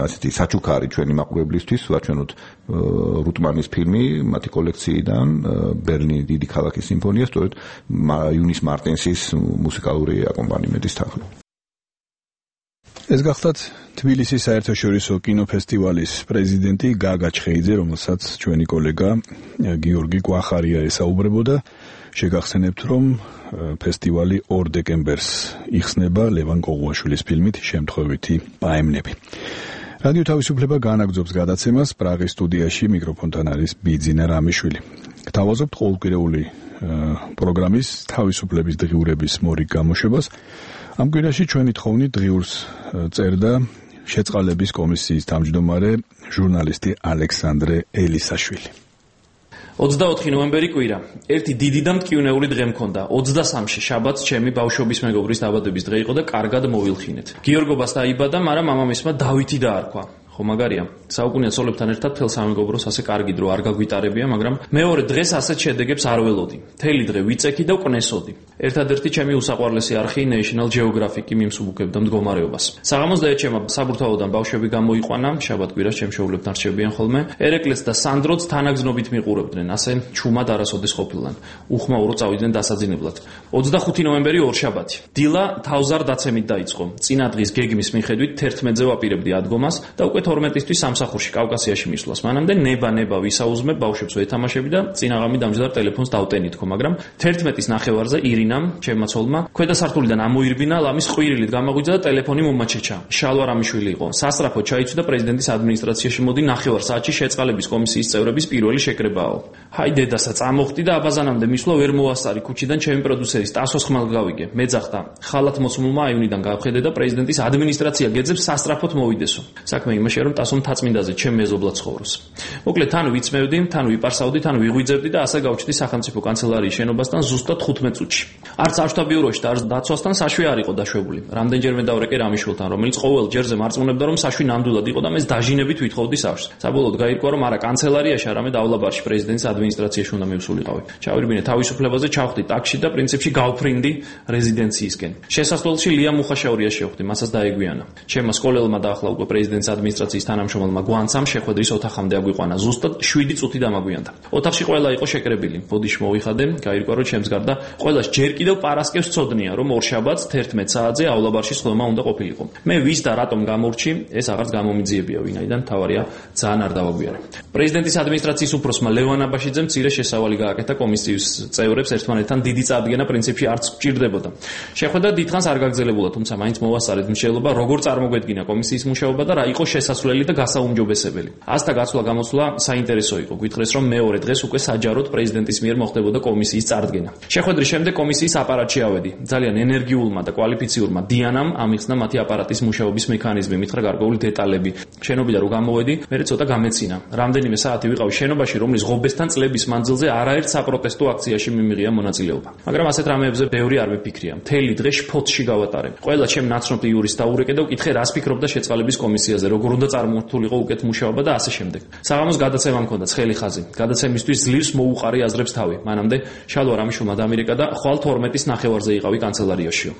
ასეთი საჩუქარი ჩვენი მაყურებლისთვის, ვაჩვენოთ რუტმანის ფილმი მათი კოლექციიდან ბერლინის დიდი ქალაქის სიმფონია, სწორედ იუნის მარტინსის მუსიკალური აკომპანემენტის თანხლებით.
ეს გახლავთ თბილისის საერთაშორისო კინოფესტივალის პრეზიდენტი გაგა ჩხეიძე, რომელსაც ჩვენი კოლეგა გიორგი კვახარია ესაუბრებოდა. შეგახსენებთ, რომ ფესტივალი 2 დეკემბერს იხსნება ლევან კოღუაშვილის ფილმით შემთხვევითი პაემნები. რადიო თავისუფლება განაგრძობს გადაცემას. პრაღის სტუდიაში მიკროფონთან არის ბიძინა რამიშვილი. გთავაზობთ ყოველკვირეული პროგრამის თავისუფლების დღიურების მორიგ გამოშვებას. ამ კვირაში ჩვენი თხოვნით დღიურს წერდა შეწყალების კომისიის თავმჯდომარე ჟურნალისტი ალექსანდრე ელისაშვილი.
24 ნოემბერი კვირა. ერთი დიდი და მტკივნეული დღე მქონდა. 23-ში შაბათს ჩემი ბავშვობის მეგობრის დაბადების დღე იყო და კარგად მოვილხინეთ. გიორგობას დაიბადა, მაგრამ მამამისმა დავითი დაარქვა. ხო მაგარია. საუკუნეა ცოლებთან ერთად თელ სამეგობროს ასე კარგი დრო არ გაგვიტარებია, მაგრამ მეორე დღეს ასეთ შედეგებს არ ველოდი. მთელი დღე ვიწექი და ვკნესოდი. ერთადერთი ჩემი უსაყვარლესი არხი National Geographic მიმსუბუქებდა მდგომარეობას. საღამოს დაეჩემა საბურთალოდან ბავშვები გამოიყვანა, შაბათ-კვირას ჩემ შეულებთან რჩებიან ხოლმე. ერეკლეც და სანდროც თანაგზნობით მიყურებდნენ, ასე ჩუმად არასოდეს ყოფილან. უხმაურო წავიდნენ დასაძინებლად. 25 ნოემბერი ორშაბათი. დილა თავზარ დაცემით დაიწყო. წინა დღის გეგმის მიხედვით 11-ზე ვაპირებდი ადგომას და უკვე 12-ისთვის სამსახურში კავკასიაში მისვლას. მანამდე ნება ვისაუზმებ, ბავშვებს ვეთამაშები და წინაღამი დამჯდარ ტელეფონს დავტენითქო, მაგრამ 11-ის ნახევარზე ირინამ, ჩემმა ცოლმა, ქვედა სართულიდან ამოირბინა, ლამის ყვირილით გამოგვიძა და ტელეფონი მომაჩეჩა. შალვა რამიშვილი იყო. სასწრაფოდ ჩაიცვიდა პრეზიდენტის ადმინისტრაციაში მოდი ნახევარ საათში შეწყალების კომისიის წევრების პირველი შეკრებაო. ჰაი დედასა, წამოხტი და აბაზანამდე მისვლა ვერ მოასწარი ქუჩიდან ჩემი პროდიუსერის ტასოს ხმალ გავიგე. მეძახდა. ხალათ მოცმულმა აივნიდან გავხედე და პრეზიდენტის ადმინისტრაცია გეძებს სასწრაფოდ მოვიდესო. საქმე იმაში რომ ტასომ თაწმინდაზე ჩემ მეზობლად ცხოვრობს. მოკლედ თან ვიცმევდი, თან ვიპარსავდი, თან ვიღვიძებდი და ასე გავჩდი სახელმწიფო კანცელარიის შენობასთან ზუსტად 15 წუთში. არც აღშთა ბიუროში და არც დაცვასთან საშვი არ იყო დაშვებული. რამდენჯერმე დავრეკე რამიშვილთან, რომელიც ყოველ ჯერზე მარწმუნებდა, რომ საშვი ნამდვილად იყო და მე დაჟინებით ვითხოვდი სახლს. საბოლოოდ გაირკვა, რომ არა კანცელარიაში, არამედავლაბარში პრეზიდენტის ადმინისტრაციაში უნდა მივსულიყავი. ჩავირბინე თავისუფლებაზე, ჩავხდი ტაქსში და პრინციპში გავფრინდი რეზიდენციისკენ. შესასვლელში ლია მუხაშაურია შევხვდი, მასაც დაეგვიანა. ჩემმა სკოლელმა დაახლა უკვე პრეზიდენტის ადმინისტრაცია ადმინისტრაციის თანამშრომელმა გვანცამ შეხვედრის ოთახამდე აგვიყვანა. ზუსტად 7 წუთი დამაგვიანდა. ოთახში ყველა იყო შეკრებილი. ბოდიში მოვიხადე, გაირკვა რომ ჩემს გარდა ყველას ჯერ კიდევ პარასკევს ცოდნია, რომ ორშაბათს 11 საათზე აულაბარში სხდომა უნდა ყოფილიყო. მე ვის და რატომ გამორჩი, ეს აღარც გამომიძიებია, ვინაიდან თავარია ძალიან არ დავაგვიანე. პრეზიდენტის ადმინისტრაციის უფროსმა ლევან აბაშიძემ მცირე შესავალი გააკეთა კომისიის წევრებს ერთმანეთთან დიდი წარდგენა პრინციპში არც გჭირდებოდა. შეხვედრა დიდხანს არ გაგრძელებულა, თუმცა მაინც მოვასწარეთ მშენებლობა, როგორ წარმოგვედგინა კომისიის მუშაობა და რა იყო შესასვლელი და გასაუმჯობესებელი. ასთა გაცვლა-გამოცვლა საინტერესო იყო. გითხრეს, რომ მეორე დღეს უკვე საჯაროდ პრეზიდენტის მიერ მოხდებოდა კომისიის წარდგენა. შეხვედრის შემდეგ კომისიის აპარატში ავედი. ძალიან ენერგიულმა და კვალიფიციურმა დიანამ ამიხსნა მათი აპარატის მუშაობის მექანიზმი, მითხრა გარკვეული დეტალები. შენობიდან რო გამოვედი, მე ცოტა გამეცინა. რამდენიმე საათი ვიყავი შენობაში, რომლის ღობესთან წლების მანძილზე არაერთ საპროტესტო აქციაში მიმიღია მონაწილეობა. მაგრამ ასეთ რამეებზე ბევრი არ მეფიქრია. მთელი დღე შფოთში გავატარე. ყველა ჩემ ნაცნობ იურისტს დაურეკე და ვკითხე, რას ფიქრობდა შეწყალების კომისიაზე, როგორ უნდა წარმართულიყო უკეთ მუშაობა და ასე შემდეგ. საღამოს გადაცემა მქონდა ცხელი ხაზი. გადაცემისთვის ძლივს მოუყარი აზრებს თავი. მანამდე შალვა რამიშვილმა დამირეკა და ხვალ 12-ის ნახევარზე იყავი კანცელარიაშიო.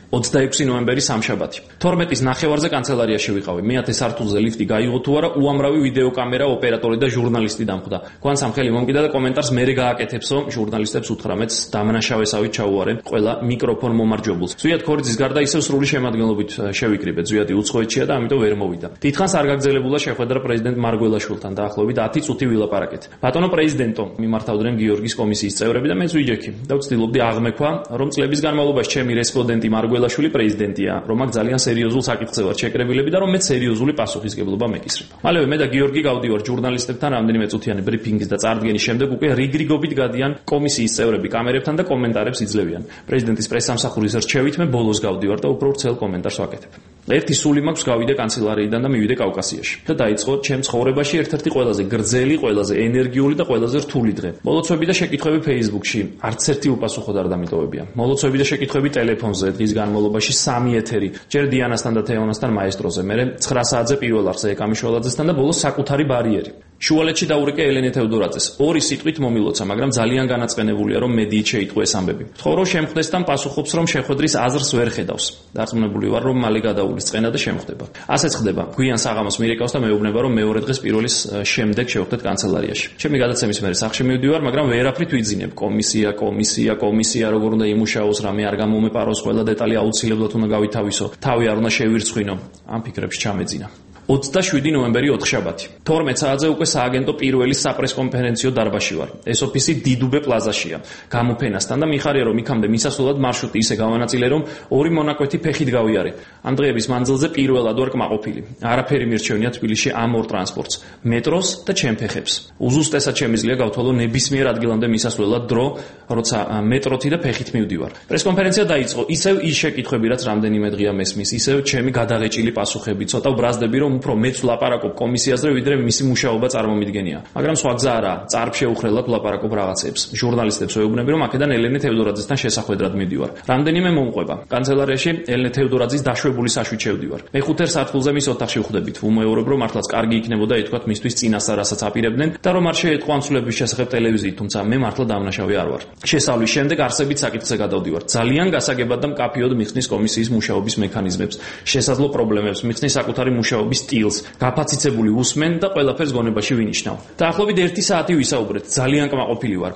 26 ნოემბერი სამშაბათი. 12-ის ნახევარზე კანცელარიაში ვიყავი. მე-10 სართულზე ლიფტი გაიღო თუ არა, უამრავი ვიდეო კამერა, ოპერატორი და ჟურნალისტი დამხვდა. გვანცამ ხელი მომკიდა და კომენტარს მერე გააკეთებსო, ჟურნალისტებს 18-ს დამნაშავესავით ჩაუარე ყველა მიკროფონ მომარჯვებულს. ზვიად ქორიძის გარდა ისევ სრული შემადგენლობით შევიკრიბეთ. ზვიადი უცხოეთშია და ამიტომ ვერ მოვიდა. დიდხანს არ გაგრძელებულა შეხვედრა პრეზიდენტ მარგველაშვილთან, დაახლოებით 10 წუთი ვილაპარაკეთ. ბატონო პრეზიდენტო, მიმართავდნენ გიორგის კომისიის წევრები და მეც ვიჯექი და ვცდილობდი აღმექვა, რომ წლების განმავლობაში ჩემი რესპონდენტი მარგველაშვილი პრეზიდენტია, რომ აქ ძალიან სერიოზულ საკითხზე ვარ შეკრებილები და რომ მე სერიოზული პასუხისგებლობა მეკისრება. მალევე მე და გიორგი გავდივარ ჟურნალისტებთან რამდენიმე წუთიანი ბრიფინგის და წარდგენის შემდეგ უკვე რიგრიგობით გადიან კომისიის წევრები კამერებთან და კომენტარებს იძლევიან. პრეზიდენტის პრესსამსახურის რჩევით მე ბოლოს გავდივარ და უფრო ვრცელ კომენტარს ვაკეთებ. ერთი სული მაქვს გავიდე კანცელარიიდან და მივიდე კავკასიაში და დაიწყო ჩემ ცხოვრებაში ერთ-ერთი ყველაზე გრძელი, ყველაზე ენერგიული და ყველაზე რთული დღე. მოლოცვები და შეკითხვები Facebook-ში, არც ერთი უპასუხოდ არ დამიტოვებია. მოლოცვები და შეკითხვები ტელეფონზე, დღის განმავლობაში 3 ეთერი, ჯერ დიანასთან და თეონასთან მაესტროზე, მერე 9 საათზე პირველ არხზე ეკამიშველაძესთან და ბოლოს საკუთარი ბარიერი. შუალედში დაურეკე ელენე თევდორაძეს. 2 სიტყვით მომილოცა, მაგრამ ძალიან განაწყენებულია, რომ მედიით შეიტყვე ეს ამბები. ვთხოვ, რომ შემხვდეს და პასუხობს, რომ შეხვედრის აზრს ვერ ხედავს. დარწმუნებული ვარ, რომ მალე გადაულის წენა და შემხვდება. ასეც ხდება. გვიან საღამოს მირეკავს და მეუბნება, რომ მეორე დღეს პირველის შემდეგ შევხვდეთ კანცელარიაში. ჩემი გადაცემის მერე სახლში მივდივარ, მაგრამ ვერაფრით ვიძინებ. კომისია, როგორ უნდა იმუშაოს, რამე არ გამომეპაროს, ყველა დეტალი აუცილებლად უნდა გავითავისო. თავი არ უნდა შევირცხვინო. ამ ფიქრებში ჩამეძინა. 27 ნოემბერი ოთხშაბათი. 12 საათზე უკვე სააგენტო პირველი საპრესკონფერენციო დარბაზში ვარ. ეს ოფისი დიდუბე პლაზაშია. გამოფენასთან და მიხარია რომ იქამდე მისასვლელად მარშრუტი ისე გავანაწილე რომ 2 მონაკვეთი ფეხით გავიარე. ამ დღეების მანძილზე პირველად ვარ კმაყოფილი. არაფერი მირჩევნია თბილისში ამ ორ ტრანსპორტს, მეტროს და ჩემ ფეხებს. უზუსტესად შემიძლია გავთვალო ნებისმიერ ადგილამდე მისასვლელად დრო, როცა მეტროთი და ფეხით მივდივარ. პრესკონფერენცია დაიწყო. ისევ ის შეკითხვები, რაც რამდენიმე დღეა მესმის, ისევ ჩემი გადაღეჭილი პასუხები. ცოტა ვბრაზდები რომ უფრო მეც ვლაპარაკობ კომისიაზე, ვიდრე მისი მუშაობა წარმომიდგენია. მაგრამ სხვა გზა არა, წარფ შეუხრელად ვლაპარაკობ რაღაცებს. ჟურნალისტებს ვეუბნები, რომ აქედან ელენე თევდორაძესთან შესახვედრად მივდივარ. რამდენიმე მომყვება. კანცელარიაში ელენე თევდორაძის დაშვებული საშვით შევდივარ. მე-5 სართულზე მის ოთახში ვხვდებით. ვუმეორებ, რომ მართლაც კარგი იქნებოდა ეთქვათ მისთვის წინასწარ რასაც აპირებდნენ და რომ არ შეეტყვა ანსულების შესახებ ტელევიზიით, თუმცა მე მართლა დამნაშავე არ ვარ. შესავლის შემდეგ არსებით საკითხზე გადავდივარ. ძალიან გასაგებად და მკაფიოდ მიხსნის კომისიის მუშაობის მექანიზმებს, შესაძლო პრობლემებს, მიხსნის საკუთარი მუშაობის სტილს, გაფაციცებული უსმენ და ყველაფერს გონებაში ვინიშნავ. დაახლოებით 1 საათი ვისაუბრეთ, ძალიან კმაყოფილი ვარ.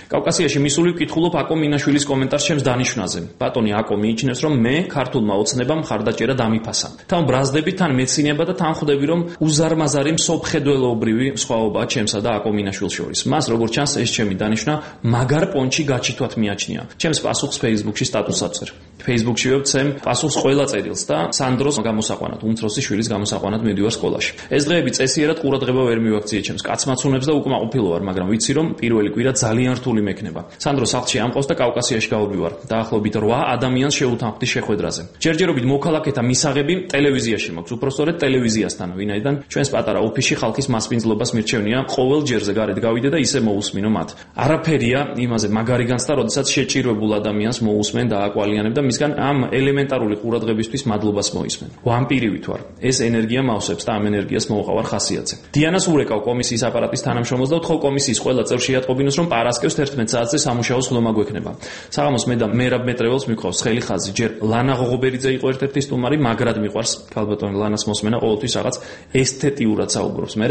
კავკასიაში მისული ვკითხულობ აკო მინაშვილის კომენტარს ჩემს დანიშვნაზე. ბატონი აკო მიიჩნევს, რომ მე ქართულმა ოცნებამ მხარდაჭერა დამიფასა. თან ბრაზდები, თან მეცინება და თან ხვდები, რომ უზარმაზარი მსოფხედველობრივი სხვაობაა ჩემსა და აკო მინაშვილს შორის. მას როგორც ჩანს, ეს ჩემი დანიშვნა მაგარ პონჩი გაჩითვათ მიაჩნია. ჩემს პასუხს Facebook-ში სტატუსად ვწერ. Facebook-ში ვცემ პასუხს ყველა წერილს და სანდროს გამოსაყვანად, უმცროსი შვილის გამოსაყვანად მივდივარ სკოლაში. ეს დღეები წესიერად ყურადღება ვერ მივაქციე ჩემს კაცმაცუნებს და უკმაყოფილო ვარ, მაგრამ ვიცი რომ პირველი კვირა ძალიან რთული მექნება. სანდრო სახლში ამყავს და კავკასიაში გავდივარ. დაახლოებით 8 ადამიანს შეუთანხმდი შეხვედრაზე. ჯერჯერობით მოქალაქეთა მისაღები ტელევიზიაში მაქვს, უпростоრედ ტელევიზიასთან, ვინაიდან ჩვენს პატარა ოფისში ხალხის მასპინძლობას მირჩევნია ყოველ ჯერზე გარეთ გავიდე და ისე მოусმინო მათ. არაფერია იმაზე მაგარი განცდა, როდესაც შეჭირვებულ ადამიანს მოусმენ და აკვალიანებ და მისგან ამ ელემენტარული ყურადღებისთვის მადლობას მოისმენ. ვამპირივით ვარ. ეს ენერგია მავსებს და ამ ენერგიას მოუყავარ ხასიათზე. დიანას ურეკავ კომისიის აპარატის თანამშრომელს და ვთხოვ კომისიის ყველა წევრს შეატყობინოს, რომ პარასკევს 11 საათზე სამუშაო სხდომა გვექნება. საღამოს მე და მერაბ მეტრეველს მიყავს ხელი ხაზი. ჯერ ლანა ღოღობერიძე იყო ერთ-ერთი სტუმარი, მაგრად მიყვარს ქალბატონი ლანას მოსმენა, ყოველთვის რაღაც ესთეტიურად საუბრობს. მე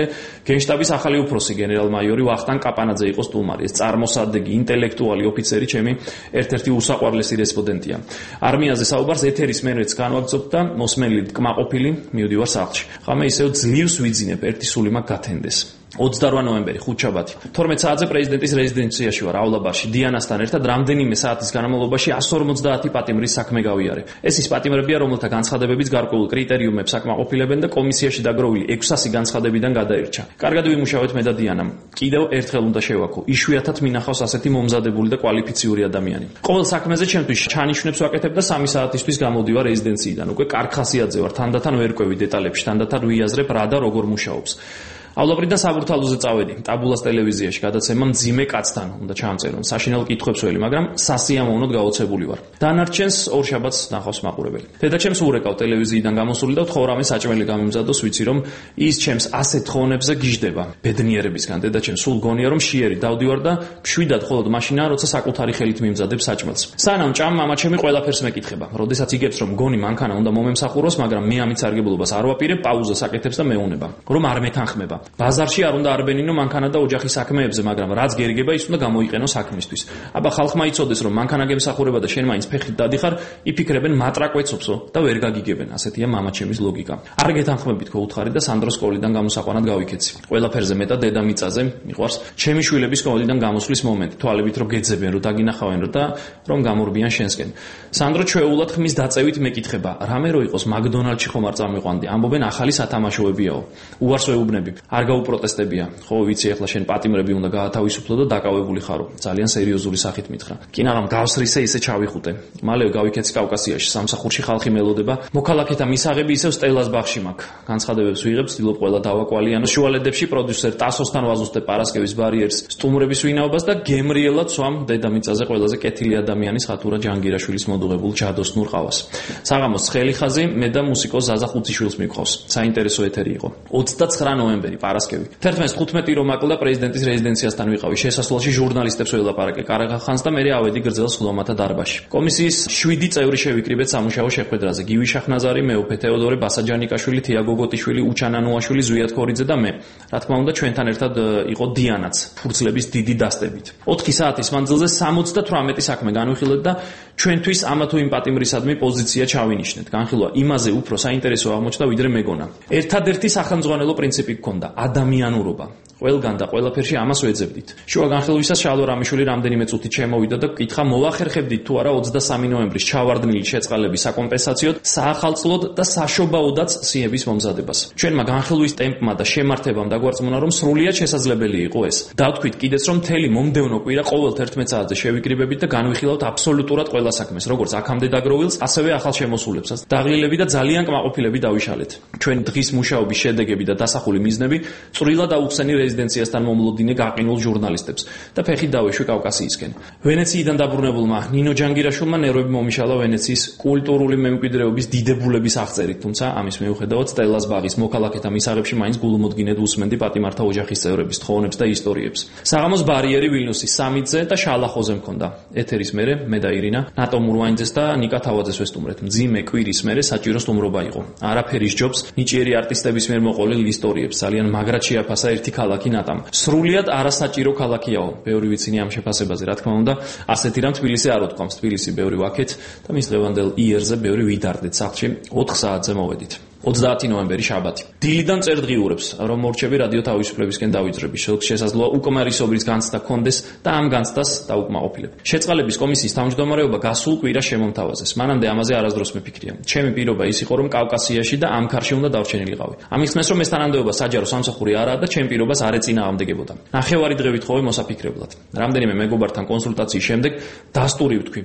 გენშტაბის ახალი უფროსი გენერალ-მაიორი ვახტანგ კაპანაძე იყო სტუმარი. ეს წარმოსადეგი, ინტელექტუალი ოფიცერი ჩემი ერთ-ერთი უსაყვარლესი რესპონდენტია. არმიაზე საუბარს ეთერის მერეც განვაგრძობ და მოსმენილი კმაყოფილი მივდივარ სახლში. ხამე ისევ ძლივს ვიძინებ, ერთი სული მაგ გათენდეს. 28 ნოემბერი, ხუთშაბათი. 12 საათზე პრეზიდენტის რეზიდენციაში ვარ, ავლაბარში. დიანასთან ერთად რამდენიმე საათის განმავლობაში 150 პატიმრის საქმე გავიარე. ეს ის პატიმრებია, რომელთა განცხადებებიც გარკვეულ კრიტერიუმებს აკმაყოფილებენ და კომისიაში დაგროვილი 600 განცხადებიდან გადაირჩა. კარგად ვიმუშავეთ მე და დიანამ. კიდევ ერთხელ უნდა შევაქო. იშვიათად მინახავს ასეთი მომზადებული და კვალიფიციური ადამიანი. ყოველ საქმეზე ჩემთვის ჩანიშნებს ვაკეთებ და 3 საათისთვის გამოდივარ რეზიდენციიდან. უკვე კარგ ხასიათზე ვარ, თანდათან ვერ ყვევი დეტალებში, თანდათან ვიაზრებ რა და როგორ მუშაობს.ავლაბრიდან საბურთალოზე წავედი, ტაბულას ტელევიზიაში გადაცემა მძიმე კაცთან უნდა ჩამწერონ. საშინელ კითხვებს ველი, მაგრამ სასიამოვნოდ გაოცებული ვარ. დანარჩენს ორ შაბათს ნახავს მაყურებელი. დედაჩემს ურეკავ ტელევიზიიდან გამოსული და ვთხოვ რამე საჭმელი გამიმზადოს, ვიცი რომ ის ჩემს ასეთ თხოვნებზე გიждდება. ბედნიერებისგან დედაჩემს სულ გონია რომ შიერი დავდივარ და მშვიდად მხოლოდ მაშინაა, როცა საკუთარი ხელით მიმზადებ საჭმელს. სანამ ჭამ მამაჩემი ყველაფერს მეკითხება. როდესაც იგებს რომ გონი მანქანა უნდა მომემსახუროს, მაგრამ მე ამით სარგებლობას არ ვაპირებ, პაუზას აკეთებს და მეუნება. რომ არ მეთანხმება. ბაზარში არ უნდა არბენინო მანქანა და ოჯახის საქმეებზე, მაგრამ რაც გერგება ის უნდა გამოიყენო საქმისთვის. აბა ხალხმა იცოდეს რომ მანქანა გემსახურება და შენ მაინც ფეხით დადიხარ, იფიქრებენ მატრაკვეცობსო და ვერ გაგიგებენ. ასეთია მამაჩემის ლოგიკა. არ გეთანხმებით გოუთხარი და სანდროს სკოლიდან გამოსაყვანად გავიქეცი. ყველაფერზე მეტად დედამიწაზე მიყვარს ჩემი შვილების სკოლიდან გამოსვლის მომენტი, თვალებით რომ გეძებენ, რომ დაგინახავენ და რომ გამორბიან შენსკენ. სანდრო ჩვეულად ხმის დაწევით მეკითხება, რამე რო იყოს მაკდონალდში ხომ არ წამიყვანდი, ამბობენ ახალი სათამაშოებიაო. უარს ვეუბნები. არ გაუპროტესტებია. ხო, ვიცი, ახლა შენ პატიმრები უნდა გაათავისუფლო და დაკავებული ხარო. ძალიან სერიოზული სახით მითხრა. კი, მაგრამ გავსრისე ისე ჩავიხუტე. მალევე გავიქეცი კავკასიაში, სამსახურში ხალხი მელოდება. მოქალაქეთა მისაღები ისევ სტელას ბაღში მაქვს. განცხადებებს ვიღებ, ვცდილობ ყველა დავაკვალიანო. შუალედებში პროდიუსერ ტასოსთან ვაზუსტებ პარასკევის ბარიერს, სტუმრების ვინაობას და გემრიელად სვამ დედამიწაზე ყველაზე კეთილი ადამიანის ხათურა ჯანგირაშვილის მოდუღებულ ჯადოსნურ ყავას. საღამოს ცხელი ხაზი მე და მუსიკოს ზაზა ხუციშვილს მიყავს. საინტერესო ეთერი იყო. 29 ნოემბერი პარასკევი. 11:15 რომ აკლდა პრეზიდენტის რეზიდენციასთან ვიყავი. შესასვლელში ჟურნალისტებს ველაპარაკე კარაღახანს და მე ავედი გრძელ სხდომათა დარბაზში. კომისიის 7 წევრი შევიკრიბეთ სამუშაო შეხვედრაზე. გივი შახნაზარი, მეუფე თეოდორე ბასაჯანიკაშვილი, თია გოგოტიშვილი, უჩანანუაშვილი, ზვიად ქორიძე და მე. რა თქმა უნდა, ჩვენთან ერთად იყო დიანაც, ფურცლების დიდი დასტებით. 4 საათის მანძილზე 78 საქმე განვიხილეთ და ჩვენთვის ამა თუ იმ პატიმრისადმი პოზიცია ჩავინიშნეთ. განხილვა იმაზე უფრო საინტერესო აღმოჩნდა, ვიდრე მეგონა. ერთადერთი სახელმძღვანელო პრინციპი გქონდა ადამიანურობა. ყველგან და ყველაფერში ამას ვეძებდით. შუა განხილვისას შალო რამიშვილი რამდენიმე წუთით შემოვიდა და კითხა მოვახერხებდით თუ არა 23 ნოემბრის ჩავარდნილი შეწყალების საკომპენსაციოდ, საახალწლოდ და საშობაოდაც სიების მომზადებას. ჩვენმა განხილვის ტემპმა და შემართებამ დაგვარწმუნა, რომ სრულიად შესაძლებელი იყო ეს. დავთქვით კიდეც, რომ მთელი მომდევნო კვირა ყოველ 11 საათზე შევიკრიბებით და განვიხილავთ აბსოლუტურად ყველა საქმეს, როგორც აქამდე დაგროვილს, ასევე ახალ შემოსულებსაც. დაღლილები და ძალიან კმაყოფილები დავიშალეთ. ჩვენ დღის მუშაობის შედეგები და დასახული მიზნები წვრილად აუხსენი რეზიდენციასთან მომლოდინე გაყინულ ჟურნალისტებს და ფეხით დავეშვი კავკასიისკენ. ვენეციიდან დაბრუნებულმა ნინო ჯანგირაშვილმა ნერვები მომიშალა ვენეციის კულტურული მემკვიდრეობის დიდებულების აღწერით, თუმცა ამის მიუხედავად სტელას ბაღის მოქალაქეთა მისაღებში მაინც გულმოდგინედ უსმენდი პატიმართა ოჯახის წევრების თხოვნებს და ისტორიებს. საღამოს ბარიერი ვილნიუსის 3-ზე და შალახოზე მქონდა. ეთერის მერე მე და ირინა, ნატო მურვაინძეს და ნიკა თავაძეს ვესტუმრეთ. მძიმე კვირის მერე საჭირო სტუმრობა იყო. არაფერი სჯობს ნიჭიერი არტისტების მიერ მოყოლილ ისტორიებს. ძალიან მაგრად შეაფასა ერთი ქალაქი ნატამ. სრულიად არასაჭირო ქალაქიაო. ბევრი ვიცინი ამ შეფასებაზე, რა თქმა უნდა, ასეთი რამ თბილისი არ უთქვამს. თბილისი ბევრი ვაქეთ და მის დღევანდელ იერზე ბევრი ვიდარდეთ სახლში. 4 საათზე მოვედით. 30 ნოემბერი შაბათი. დილიდან წერ დღიურებს, რომ მორჩები რადიო თავისუფლებისკენ დავიძრები. შესაძლოა უკმარისობის განცდა კონდეს და ამ განცდას დაუკმაყოფილებ. შეწყალების კომისიის თავმჯდომარეობა გასულ კვირას შემომთავაზეს. მანამდე ამაზე არასდროს მეფიქრია. ჩემი პირობა ის იყო, რომ კავკასიაში და ამ ქარში უნდა დავჩენილიყავი. ამის ხმეს რომ ეს თანამდებობა საჯარო სამსახური არაა და ჩემ პირობას არ ეწინააღმდეგებოდა. ნახევარი დღე ვითხოვე მოსაფიქრებლად. რამდენიმე მეგობართან კონსულტაციის შემდეგ დასტური ვთქვი.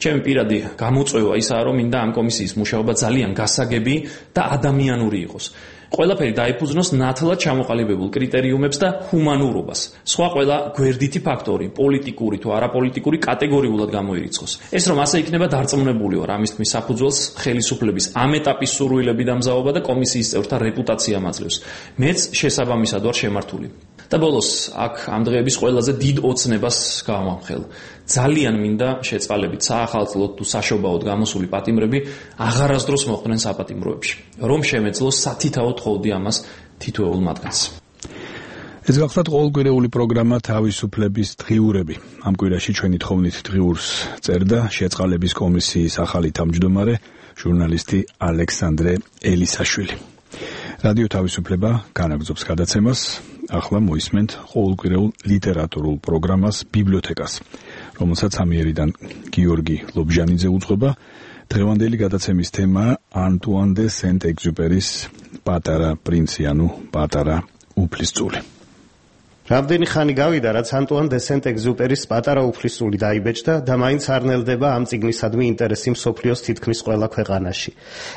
ჩემი პირადი გამოწვევა ისაა, რომ მინდა ამ კომისიის მუშაობა ძალიან გასაგები და ადამიანური იყოს. ყველაფერი დაიფუძნოს ნათლად ჩამოყალიბებულ კრიტერიუმებს და ჰუმანურობას. სხვა ყველა გვერდითი ფაქტორი, პოლიტიკური თუ არაპოლიტიკური კატეგორიულად გამოირიცხოს. ეს რომ ასე იქნება დარწმუნებული ვარ, ამის თქმის საფუძველს ხელისუფლების ამ ეტაპის სურვილები და მზაობა და კომისიის წევრთა რეპუტაცია მაძლევს. მეც შესაბამისად ვარ შემართული. და ბოლოს აქ ამ დღეების ყველაზე დიდ ოცნებას გავამხელ. ძალიან მინდა შეწყალებით საახალწლოდ თუ საშობაოდ გამოსული პატიმრები აღარასდროს მოხვდნენ საპატიმროებში, რომ შემეძლოს სათითაო თხოვდი ამას თითოეულ მათგანს.
ეს გახლავთ ყოველკვირეული პროგრამა თავისუფლების დღიურები. ამ კვირაში ჩვენი თხოვნით დღიურს წერდა შეწყალების კომისიის ახალი თავმჯდომარე, ჟურნალისტი ალექსანდრე ელისაშვილი. რადიო თავისუფლება განაგრძობს გადაცემას. ახლა მოისმენთ ყოველკვირეულ ლიტერატურულ პროგრამას ბიბლიოთეკას, რომელსაც ამიერიდან გიორგი ლობჟანიძე უძღვება. დღევანდელი გადაცემის თემაა ანტუან დე სენტ-ეგზუპერის პატარა პრინცი, ანუ პატარა უფლისწული.
რამდენი ხანი გავიდა, რაც ანტუან დე სენტ-ეგზუპერის პატარა უფლისწული დაიბეჭდა და მაინც არ ნელდება ამ წიგნისადმი ინტერესი მსოფლიოს თითქმის ყველა ქვეყანაში.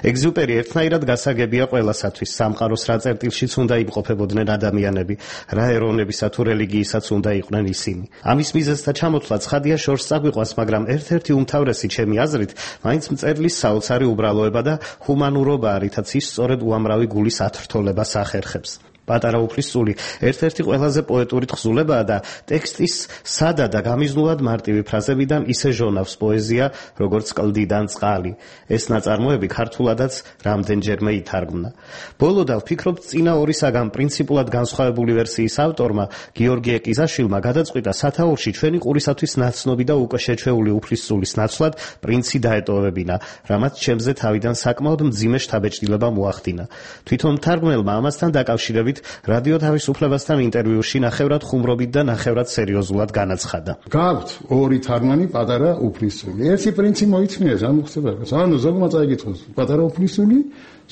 ეგზუპერი ერთნაირად გასაგებია ყველასათვის, სამყაროს რა წერტილშიც უნდა იმყოფებოდნენ ადამიანები, რა ეროვნებისა თუ რელიგიისაც უნდა იყვნენ ისინი. ამის მიზეზთა ჩამოთვლა ცხადია შორს წაგვიყვანს, მაგრამ ერთ-ერთი უმთავრესი ჩემი აზრით, მაინც მწერლის საოცარი უბრალოება და ჰუმანურობაა, რითაც ის სწორედ უამრავი გულის ათრთოლებას ახერხებს. პატარა უფლისწული ერთ-ერთი ყველაზე პოეტური თხზულებაა და ტექსტის სადა და გამიზნულად მარტივი ფრაზებიდან ისე ჟონავს პოეზია, როგორც კლდიდან წყალი. ეს ნაწარმოები ქართულადაც რამდენჯერმე ითარგმნა. ბოლოდან ვფიქრობ, წინა ორისაგან პრინციპულად განსხვავებული ვერსიის ავტორმა, გიორგი ეკიზაშვილმა გადაწყვიტა სათაურში ჩვენი ყურისათვის ნაცნობი და უკვე შეჩვეული უფლისწულის ნაცვლად პრინცი დაეტოვებინა, რამაც ჩემზე თავიდან საკმაოდ მძიმე შთაბეჭდილება მოახდინა. თვითონ მთარგმნელმა ამასთან დაკავშირებით რადიო თავისუფლებასთან ინტერვიუში ნახევრად ხუმრობით და ნახევრად სერიოზულად განაცხადა.
გაქვთ ორი თარგმანი პატარა უფლისწული. ერთი პრინცი მოიწმინეს ამ ხსებებას. ანუ ზოგმა წაიგითხოს პატარა უფლისწული,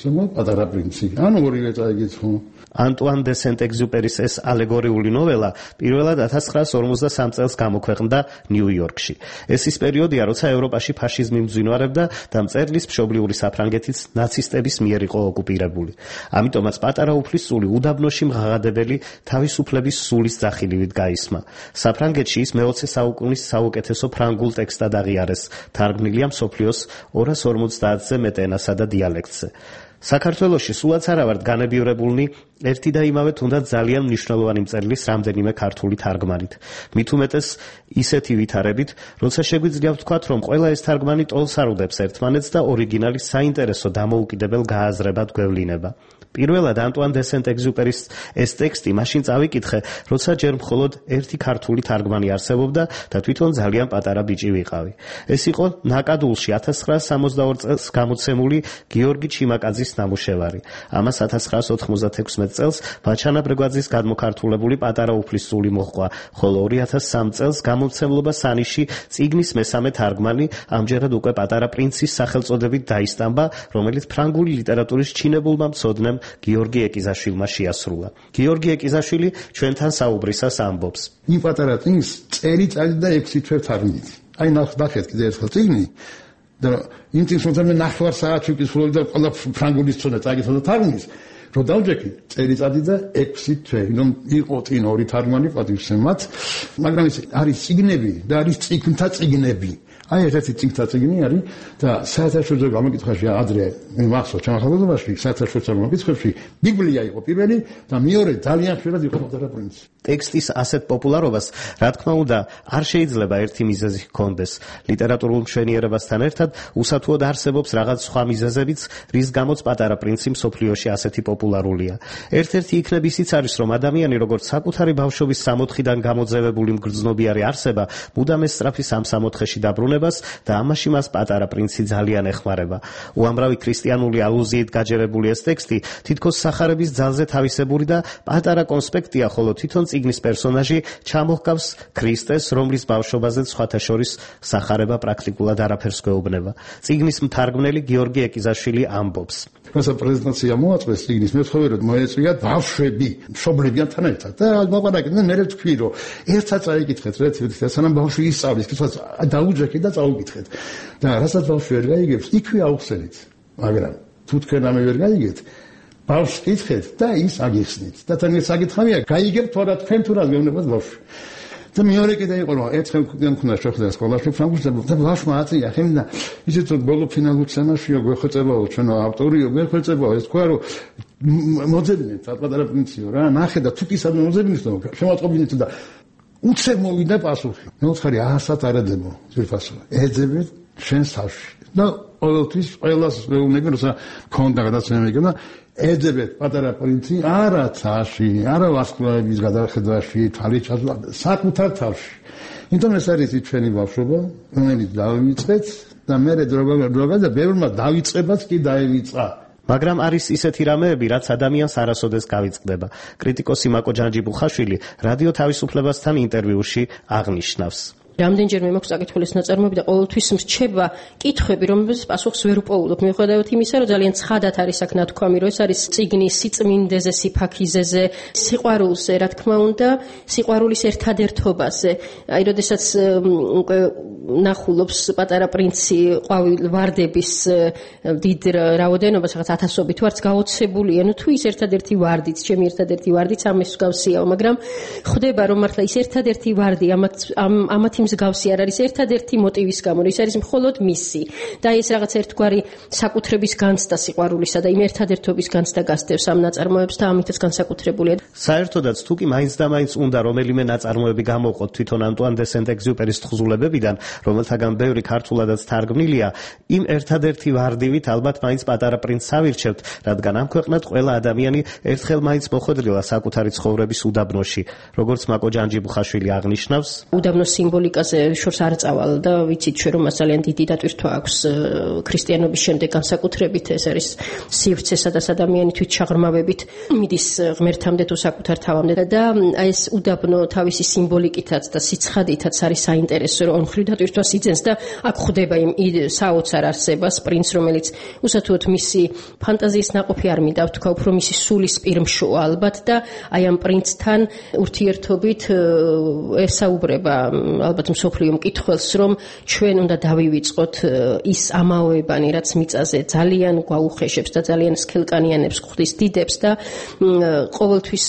ზოგმა პატარა პრინცი. ანუ ორივე წაიგითხო.
ანტუან დე სენტ-ეგზუპერის ეს ალეგორიული ნოველა პირველად 1943 წელს გამოქვეყნდა ნიუ-იორკში. ეს ის პერიოდია, როცა ევროპაში ფაშიზმი მძვინვარებდა და მწერლის მშობლიური საფრანგეთიც ნაცისტების მიერ იყო ოკუპირებული. ამიტომაც პატარა უფლისწული უდაბნოში მღაღადებელი თავისუფლების სულის ძახილივით გაისმა. საფრანგეთში ის მე-20 საუკუნის საუკეთესო ფრანგულ ტექსტად აღიარეს, თარგმნილია მსოფლიოს 250-ზე მეტ ენასა და დიალექტზე. საქართველოში სულაც არა ვართ განებიურებულნი ერთი და იმავე თუნდაც ძალიან მნიშვნელოვანი მწერლის რამდენიმე ქართული თარგმანით. მით უმეტეს ისეთი ვითარებით, როცა შეგვიძლია ვთქვათ, რომ ყველა ეს თარგმანი ტოლს არ უდებს ერთმანეთს და ორიგინალის საინტერესო დამოუკიდებელ გააზრებად გვევლინება. პირველად ანტუან დე სენტ-ეგზუპერის ეს ტექსტი მაშინ წავიკითხე, როცა ჯერ მხოლოდ ერთი ქართული თარგმანი არსებობდა და თვითონ ძალიან პატარა ბიჭი ვიყავი. ეს იყო ნაკადულში 1962 წელს გამოცემული გიორგი ჩიმაკაძის ნამუშევარი. ამას 1996 წელს ბაჩანა ბრეგვაძის გადმოქართულებული პატარა უფლისწული მოჰყვა, ხოლო 2003 წელს გამომცემლობა სანიში წიგნის მესამე თარგმანი, ამჯერად უკვე პატარა პრინცის სახელწოდებით დაისტამბა, რომელიც ფრანგული ლიტერატურის ჩინებულმა მცოდნემ გიორგი ეკიზაშვილმა შეასრულა. გიორგი ეკიზაშვილი ჩვენთან საუბრისას ამბობს.
იმ პატარა წიგნს წელიწადი და 6 თვე თარგმნით. აი ნახეთ კიდე ერთხელ წიგნი და იმ წიგნს მე ნახევარ საათი ვკითხულობდი და ყველა ფრანგული ცოდნა წაგიცხო და თარგმნის. რო დავჯექი წელიწადი და 6 თვე, რომ იყო წინ ორი თარგმანი პატივსემად, მაგრამ ეს არის წიგნები და არის წიგნთა წიგნები. აი ერთ-ერთი წიგნთა წიგნი არის და საერთაშორისო გამოკითხვაში ადრე მახსოვს ჩემ ახალგაზრდობაში საერთაშორისო გამოკითხვებში ბიბლია იყო პირველი და მეორე ძალიან ხშირად იყო პატარა პრინცი.
ტექსტის ასეთ პოპულარობას, რა თქმა უნდა, არ შეიძლება ერთი მიზეზი ჰქონდეს. ლიტერატურულ მშვენიერებასთან ერთად უსათუოდ არსებობს რაღაც სხვა მიზეზებიც, რის გამოც პატარა პრინცი მსოფლიოში ასეთი პოპულარულია. ერთ-ერთი იქნებ ისიც არის, რომ ადამიანი როგორც საკუთარი ბავშვობის სამოთხიდან გამოძევებული მგრძნობიარე არსება, მუდამ ესწრაფი სამოთხეში დაბრუნებას და ამაში მას პატარა პრინცი ძალიან ეხმარება. უამრავი ქრისტიანული ალუზიით გაჯერებული ეს ტექსტი თითქოს სახარების ძალზე თავისებური და პატარა კონსპექტია, ხოლო თვითონ წიგნის პერსონაჟი ჩამოჰგავს ქრისტეს, რომლის ბავშვობაზეც სხვათა შორის სახარება პრაქტიკულად არაფერს გვეუბნება. წიგნის მთარგმნელი გიორგი ეკიზაშვილი ამბობს.
რასაც პრეზენტაცია მოაწყვეს წიგნის მეცხოველად მოეწვია ბავშვები, მშობლებიანთან ერთად. და მოყარაკეთ და მე ვთქვი, რომ ერთად წაიკითხეთ, რეცეპტი, სანამ ბავშვი ისწავლის, კითხავს დაუჯექეთ და წაუკითხეთ. და რასაც ბავშვი ვერ გაიგებს, იქვე აუხსენით. მაგრამ თუ თქვენ ამე ვერ გაიგეთ, ბავშვს კითხეთ და ის აგიხსნით. და თან ეს საკითხავია, გაიგებთ თუ არა თქვენ თუ რა გეუბნებათ ბავშვს. და მეორე კიდე იყო რომ ერთხელ მქონდა შეხვედრა სკოლაში ფრანგულზე და ბავშვმა აწია ხემდა ისეთ რომ ბოლო ფინალურ სცენაშია გვეხოცებაო ჩვენ ავტორიო გვეხოცებაო ეს თქვა რომ მოძებნეთ პატარა პრინციპი რა ნახე და თუ კი სადმე მოძებნით რომ შემოწყობინეთ და უცებ მოვიდა პასუხი მე ვთქვი აასად არადებო ძირფასო ეძებეთ ჩვენს თავში და ყოველთვის ყველას მეუბნები რომ ქონდა გადაცემა და ეძებეთ პატარა პრინცი არა ცაში, არა ვარსკვლავების გადახედვაში, თვალის ჩასვლა, საკუთარ თავში. იმიტომ ეს არის ჩვენი ბავშვობა, რომელიც დავიწყეთ და მე დროგა და ბევრმა დავიწყებაც კი დაევიწყა.
მაგრამ არის ისეთი რამეები, რაც ადამიანს არასოდეს გავიწყდება. კრიტიკოსი მაკო ჯანჯიბუხაშვილი რადიო თავისუფლებასთან ინტერვიუში აღნიშნავს.
რამდენჯერმე მაქვს საკითხulis ნაწარმოები და ყოველთვის მრჩება კითხვები, რომელსაც პასუხს ვერ უპოულობ. მიუხედავად იმისა, რომ ძალიან ცხადად არის აქ ნათქვამი, რომ ეს არის წიგნი სიწმინდეზე, სიფაქიზეზე, სიყვარულზე, რა თქმა უნდა, სიყვარულის ერთადერთობაზე. აი, როდესაც უკვე ნახულობს პატარა პრინცი ყვავილ ვარდების დიდ რაოდენობას, რაღაც ათასობით ვარდს გაოცებულია. ნუ თუ ის ერთადერთი ვარდიც, ჩემი ერთადერთი ვარდიც ამის მსგავსიაო, მაგრამ ხვდება რომ მართლა ის ერთადერთი ვარდი ამათი მსგავსი არ არის ერთადერთი მოტივის გამო, ის არის მხოლოდ მისი. და ეს რაღაც ერთგვარი საკუთრების განცდა სიყვარულისა და იმ ერთადერთობის განცდა გასდევს ამ ნაწარმოებს და ამითაც განსაკუთრებულია.
საერთოდაც თუ კი მაინც და მაინც უნდა რომელიმე ნაწარმოები გამოვყოთ თვითონ ანტუან დე სენტ-ეგზიუპერის თხზულებებიდან, რომელთაგან ბევრი ქართულადაც თარგმნილია, იმ ერთადერთი ვარდივით ალბათ მაინც პატარა პრინცს ავირჩევთ, რადგან ამ ქვეყნად ყველა ადამიანი ერთხელ მაინც მოხვედრილა საკუთარი ცხოვრების უდაბნოში, როგორც მაკო ჯანჯიბუხაშვილი აღნიშნავს.
უდაბნოს სიმბოლიკაზე შორს არ წავალ და ვიცით ჩვენ რომ მას ძალიან დიდი დატვირთვა აქვს ქრისტიანობის შემდეგ განსაკუთრებით ეს არის სივრცე, სადაც ადამიანი თვით ჩაღრმავებით მიდის ღმერთამდე თუ საკუთარ თავამდე და აი ეს უდაბნო თავისი სიმბოლიკითაც და სიცხადითაც არის საინტერესო რომ მხრივ დატვირთვას იძენს და აქ ხვდება იმ საოცარ არსებას პრინც რომელიც უსათუოდ მისი ფანტაზიის ნაყოფი არ მინდა ვთქვა უფრო მისი სულის პირმშოა ალბათ და აი ამ პრინცთან ურთიერთობით ესაუბრება ალბათ მსოფლიო მკითხველს რომ ჩვენ უნდა დავივიწყოთ ის ამაოებანი რაც მიწაზე ძალიან გვაუხეშებს და ძალიან სქელკანიანებს ხვდის დიდებს და ყოველთვის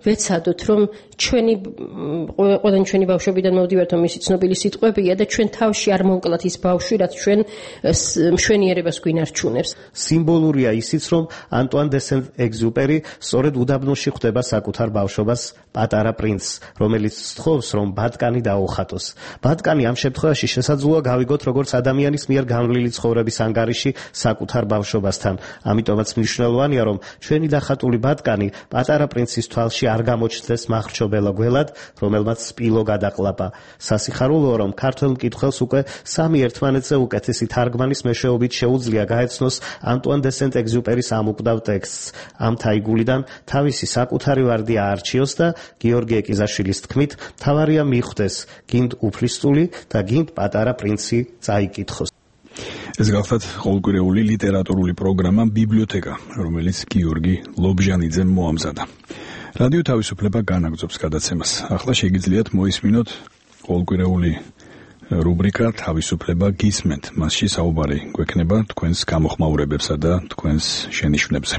ვეცადოთ რომ ყველანი ჩვენი ბავშვობიდან მოვდივართ რომ მისი ცნობილი სიტყვებია და ჩვენ თავში არ მოვკლათ ის ბავშვი რაც ჩვენ მშვენიერებას გვინარჩუნებს.
სიმბოლურია ისიც რომ ანტუან დე სენტ-ეგზიუპერი სწორედ უდაბნოში ხვდება საკუთარ ბავშვობას პატარა პრინცს, რომელიც სთხოვს რომ ბატკანი დაუხატოს. ბატკანი ამ შემთხვევაში შესაძლოა გავიგოთ როგორც ადამიანის მიერ განვლილი ცხოვრების ანგარიში საკუთარ ბავშვობასთან. ამიტომაც მნიშვნელოვანია რომ ჩვენი დახატული ბატკანი პატარა პრინცის თვალში არ გამოჩნდეს მახრჩობელა გველად, რომელმაც სპილო გადაყლაპა. სასიხარულოა რომ ქართველ მკითხველს უკვე სამი ერთმანეთზე უკეთესი თარგმანის მეშვეობით შეუძლია გაეცნოს ანტუან დე სენტ-ეგზიუპერის ამ უკვდავ ტექსტს. ამ თაიგულიდან თავისი საკუთარი ვარდი აარჩიოს და გიორგი ეკიზაშვილის თქმით, თავარია მიხვდეს გინდ უფლისწული და გინდ პატარა პრინცი წაიკითხოს.
ეს გახლავთ ყოველკვირეული ლიტერატურული პროგრამა ბიბლიოთეკა, რომელიც გიორგი ლობჟანიძემ მოამზადა. რადიო თავისუფლება განაგრძობს გადაცემას. ახლა შეგიძლიათ მოისმინოთ ყოველკვირეული რუბრიკა თავისუფლება გისმენთ. მასში საუბარი გვექნება თქვენს გამოხმაურებებსა და თქვენს შენიშვნებზე.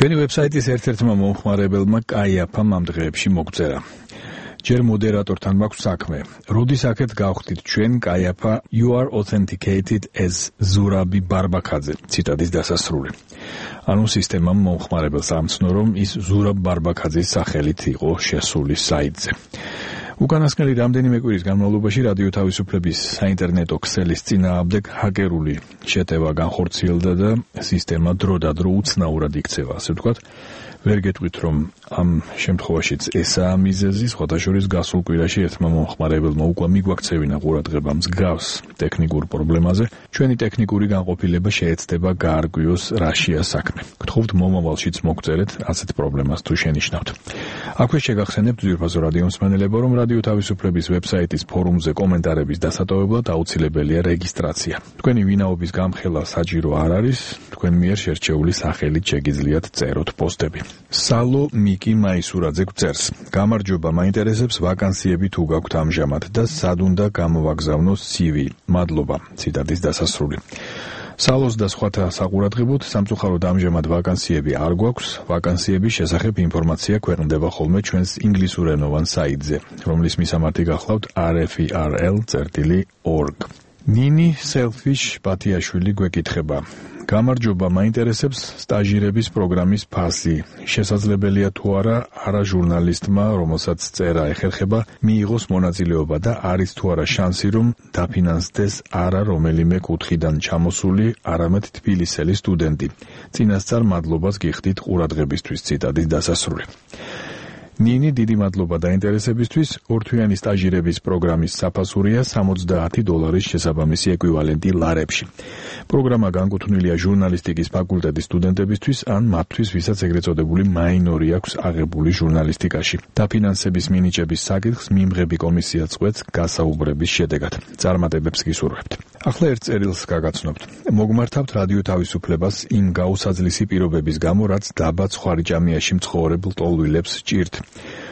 ჩვენი ვებსაიტის ერთ-ერთმა მომხმარებელმა კაიაფამ ამ დღეებში მოგწერა. ჯერ მოდერატორთან მაქვს საქმე. როდის აქეთ გავხდით ჩვენ კაიაფა you are authenticated as ზურაბი ბარბაქაძე. ციტატის დასასრული. ანუ სისტემამ მომხმარებელს ამცნო რომ ის ზურაბ ბარბაქაძის სახელით იყო შესული საიტზე. უკანასკნელი რამდენიმე კვირის განმავლობაში რადიო თავისუფლების საინტერნეტო ქსელის წინააღმდეგ ჰაკერული შეტევა განხორციელდა და სისტემა დროდადრო უცნაურად იქცევა, ასე ვთქვათ. ვერ გეტყვით რომ ამ შემთხვევაშიც ესაა მიზეზი, სხვადასხვა გასულ კვირაში ერთმა მომხმარებელმა უკვე მიგვაქცევინა ყურადღება მსგავს ტექნიკურ პრობლემაზე. ჩვენი ტექნიკური განყოფილება შეეცდება გაარღვიოს რაშია საქმე. გთხოვთ მომავალშიც მოგწერეთ ასეთ პრობლემას თუ შენიშნავთ. აქვე შეგახსენებთ ძვირფასო რადიო მსმენელებო, რომ რადიო თავისუფლების ვებსაიტის ფორუმზე კომენტარების დასატოვებლად აუცილებელია რეგისტრაცია. თქვენი ვინაობის გამხელა საჭირო არ არის, თქვენ მიერ შერჩეული სახელით შეგიძლიათ წეროთ პოსტები. სალო მიკი მაისურაძე გვწერს. გამარჯობა, მაინტერესებს ვაკანსიები თუ გაქვთ ამჟამად და სად უნდა გამოვაგზავნო CV. მადლობა. ციტატის დასასრული. სალოს და სხვათა საყურადღებოდ სამწუხაროდ ამჟამად ვაკანსიები არ გვაქვს. ვაკანსიების შესახებ ინფორმაცია ქვეყნდება ხოლმე ჩვენს ინგლისურენოვან საიტზე, რომლის მისამართი გახლავთ rferl.org. ნინი selfish ბათიაშვილი გვეკითხება. გამარჯობა, მაინტერესებს სტაჟირების პროგრამის ფასი. შესაძლებელია თუ არა ჟურნალისტმა, რომელსაც წერა ეხერხება, მიიღოს მონაწილეობა და არის თუ არა შანსი, რომ დაფინანსდეს არა რომელიმე კუთხიდან ჩამოსული, არამედ თბილისელი სტუდენტი. წინასწარ მადლობას გიხდით ყურადღებისთვის. ციტატის დასასრული. ნინი, დიდი მადლობა დაინტერესებისთვის. ორთვიანი სტაჟირების პროგრამის საფასურია $60 შესაბამისი ეკვივალენტი ლარებში. პროგრამა განკუთვნილია ჟურნალისტიკის ფაკულტეტის სტუდენტებისთვის ან მათთვის, ვისაც ეგრეთ წოდებული მაინორი აქვს აღებული ჟურნალისტიკაში. დაფინანსების მინიჭების საკითხს მიმღები კომისია წყვეტს გასაუბრების შედეგად. წარმატებებს გისურვებთ. ახლა ერთ წერილს გაგაცნობთ. მოგმართავთ რადიო თავისუფლებას იმ გაუსაძლისი პირობების გამო, რაც დაბა ცხვარიჭამიაში მცხოვრებელ ტოლვილებს ჭირთ.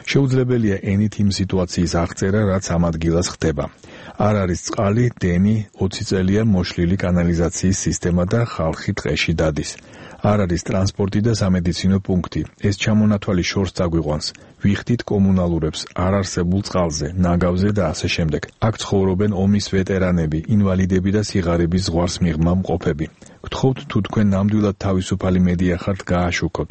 შეუძლებელია ენით იმ სიტუაციის აღწერა, რაც ამ ადგილას ხდება. არ არის წყალი, დენი, 20 წელია მოშლილი კანალიზაციის სისტემა და ხალხი ტყეში დადის. არ არის ტრანსპორტი და სამედიცინო პუნქტი. ეს ჩამონათვალი შორს წაგვიყვანს. ვიხდით კომუნალურებს არარსებულ წყალზე, ნაგავზე და ასე შემდეგ. აქ ცხოვრობენ ომის ვეტერანები, ინვალიდები და სიღარიბის ზღვარს მიღმა მყოფები. გთხოვთ თუ თქვენ ნამდვილად თავისუფალი მედია ხართ, გააშუქოთ.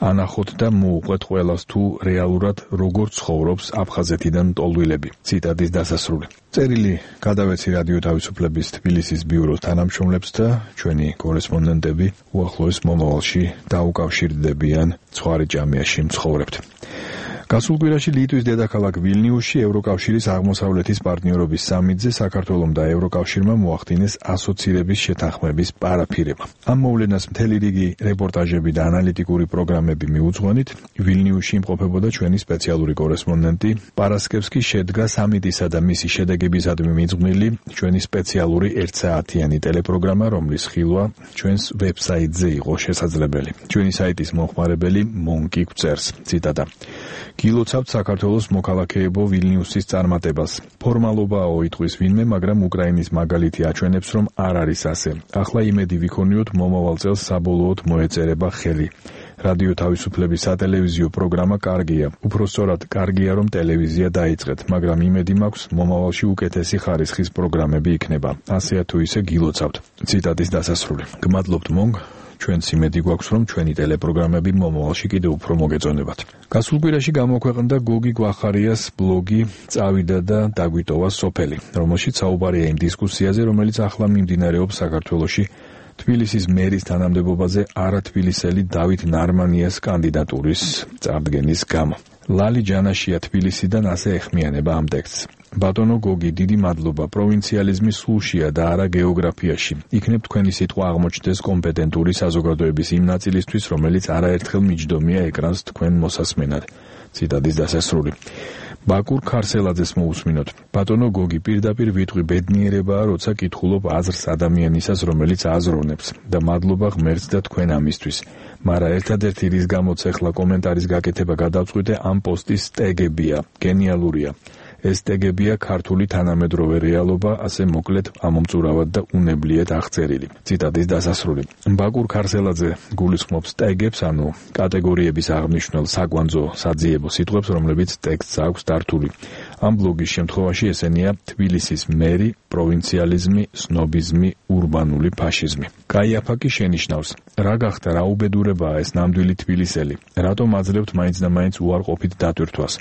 ანახოთ და მოუყვეთ ყველას თუ რეალურად როგორ ცხოვრობს აფხაზეთიდან ტოლვილები. ციტატის დასასრული. წერილი გადავეცი რადიო თავისუფლების თბილისის ბიუროს თანამშრომლებს და ჩვენი კორესპონდენტები უახლოეს მომავალში დაუკავშირდებიან ცხვარიჭამიაში მცხოვრებთ. გასულ კვირაში ლიტვის დედაქალაქ ვილნიუსში ევროკავშირის აღმოსავლეთის პარტნიორობის სამიტზე საქართველომ და ევროკავშირმა მოახდინეს ასოცირების შეთანხმების პარაფირება. ამ მოვლენას მთელი რიგი რეპორტაჟები და ანალიტიკური პროგრამები მიუძღვენით, ვილნიუსში იმყოფებოდა ჩვენი სპეციალური კორესპონდენტი პარასკევსკი. შედგა სამიტისა და მისი შედეგებისადმი მიძღვნილი ჩვენი სპეციალური 1 საათიანი ტელეპროგრამა, რომლის ხილვა ჩვენს ვებსაიტზე იყო შესაძლებელი. ჩვენი საიტის მომხმარებელი მონკი გვწერს, ციტატა: გილოცავთ საქართველოს მოქალაქეებო ვილნიუსის წარმატებას. ფორმალობაო იტყვის ვინმე, მაგრამ უკრაინის მაგალითი აჩვენებს, რომ არ არის ასე. ახლა იმედი ვიქონიოთ, მომავალ წელს საბოლოოდ მოეწერება ხელი. რადიო თავისუფლების სატელევიზიო პროგრამა კარგია. უფრო სწორად, კარგია, რომ ტელევიზია დაიწყეთ, მაგრამ იმედი მაქვს, მომავალში უკეთესი ხარისხის პროგრამები იქნება. ასეა თუ ისე გილოცავთ. ციტატის დასასრული. გმადლობთ მონგ. ჩვენც იმედი გვაქვს, რომ ჩვენი ტელეპროგრამები მომავალში კიდევ უფრო მოგეწონებათ. გასულ კვირაში გამოქვეყნდა გოგი გვახარიას ბლოგი "წავიდა და დაგვიტოვა სოფელი", რომელშიც საუბარია იმ დისკუსიაზე, რომელიც ახლა მიმდინარეობს საქართველოში თბილისის მერის თანამდებობაზე არათბილისელი დავით ნარმანიას კანდიდატურის წარდგენის გამო. ლალი ჯანაშია თბილისიდან ასე ეხმიანება ამ ტექსტს. ბატონო გოგი, დიდი მადლობა. პროვინციალიზმი სულშია და არა გეოგრაფიაში. იქნებ თქვენი სიტყვა აღმოჩნდეს კომპეტენტური საზოგადოების იმ ნაწილისთვის, რომელიც არაერთხელ მიჯდომია ეკრანს თქვენ მოსასმენად. ციტატის დასასრული. ბაკურ ქარსელაძეს მოусმინოთ. ბატონო გოგი, პირდაპირ ვიტყვი, ბედნიერებაა, როცა კითხულობ აზრს ადამიანისას, რომელიც აზროვნებს, და მადლობა ღმერთს და თქვენ ამისთვის. მაგრამ ერთადერთი რის გამოც ახლა კომენტარის გაკეთება გადავწყვიტე, ამ პოსტის სტეგებია, გენიალურია. ეს ტეგებია ქართული თანამედროვე რეალობა, ასე მოკლედ ამომწურავად და უნებლიეთ აღწერილი. ციტატის დასასრული. ბაკურ ქარსელაძე გულისხმობს ტეგებს, ანუ კატეგორიების აღნიშნულ საკვანძო საძიებო სიტყვებს, რომლებიც ტექსტს აქვს დართული. ამ ბლოგის შემთხვევაში ესენია თბილისის მერი, პროვინციალიზმი, სნობიზმი, ურბანული ფაშიზმი. კაიაფა კი შენიშნავს: რა გახდა, რა უბედურებაა ეს ნამდვილი თბილისელი? რატომ აძლევთ მაინც და მაინც უარყოფით დატვირთვას?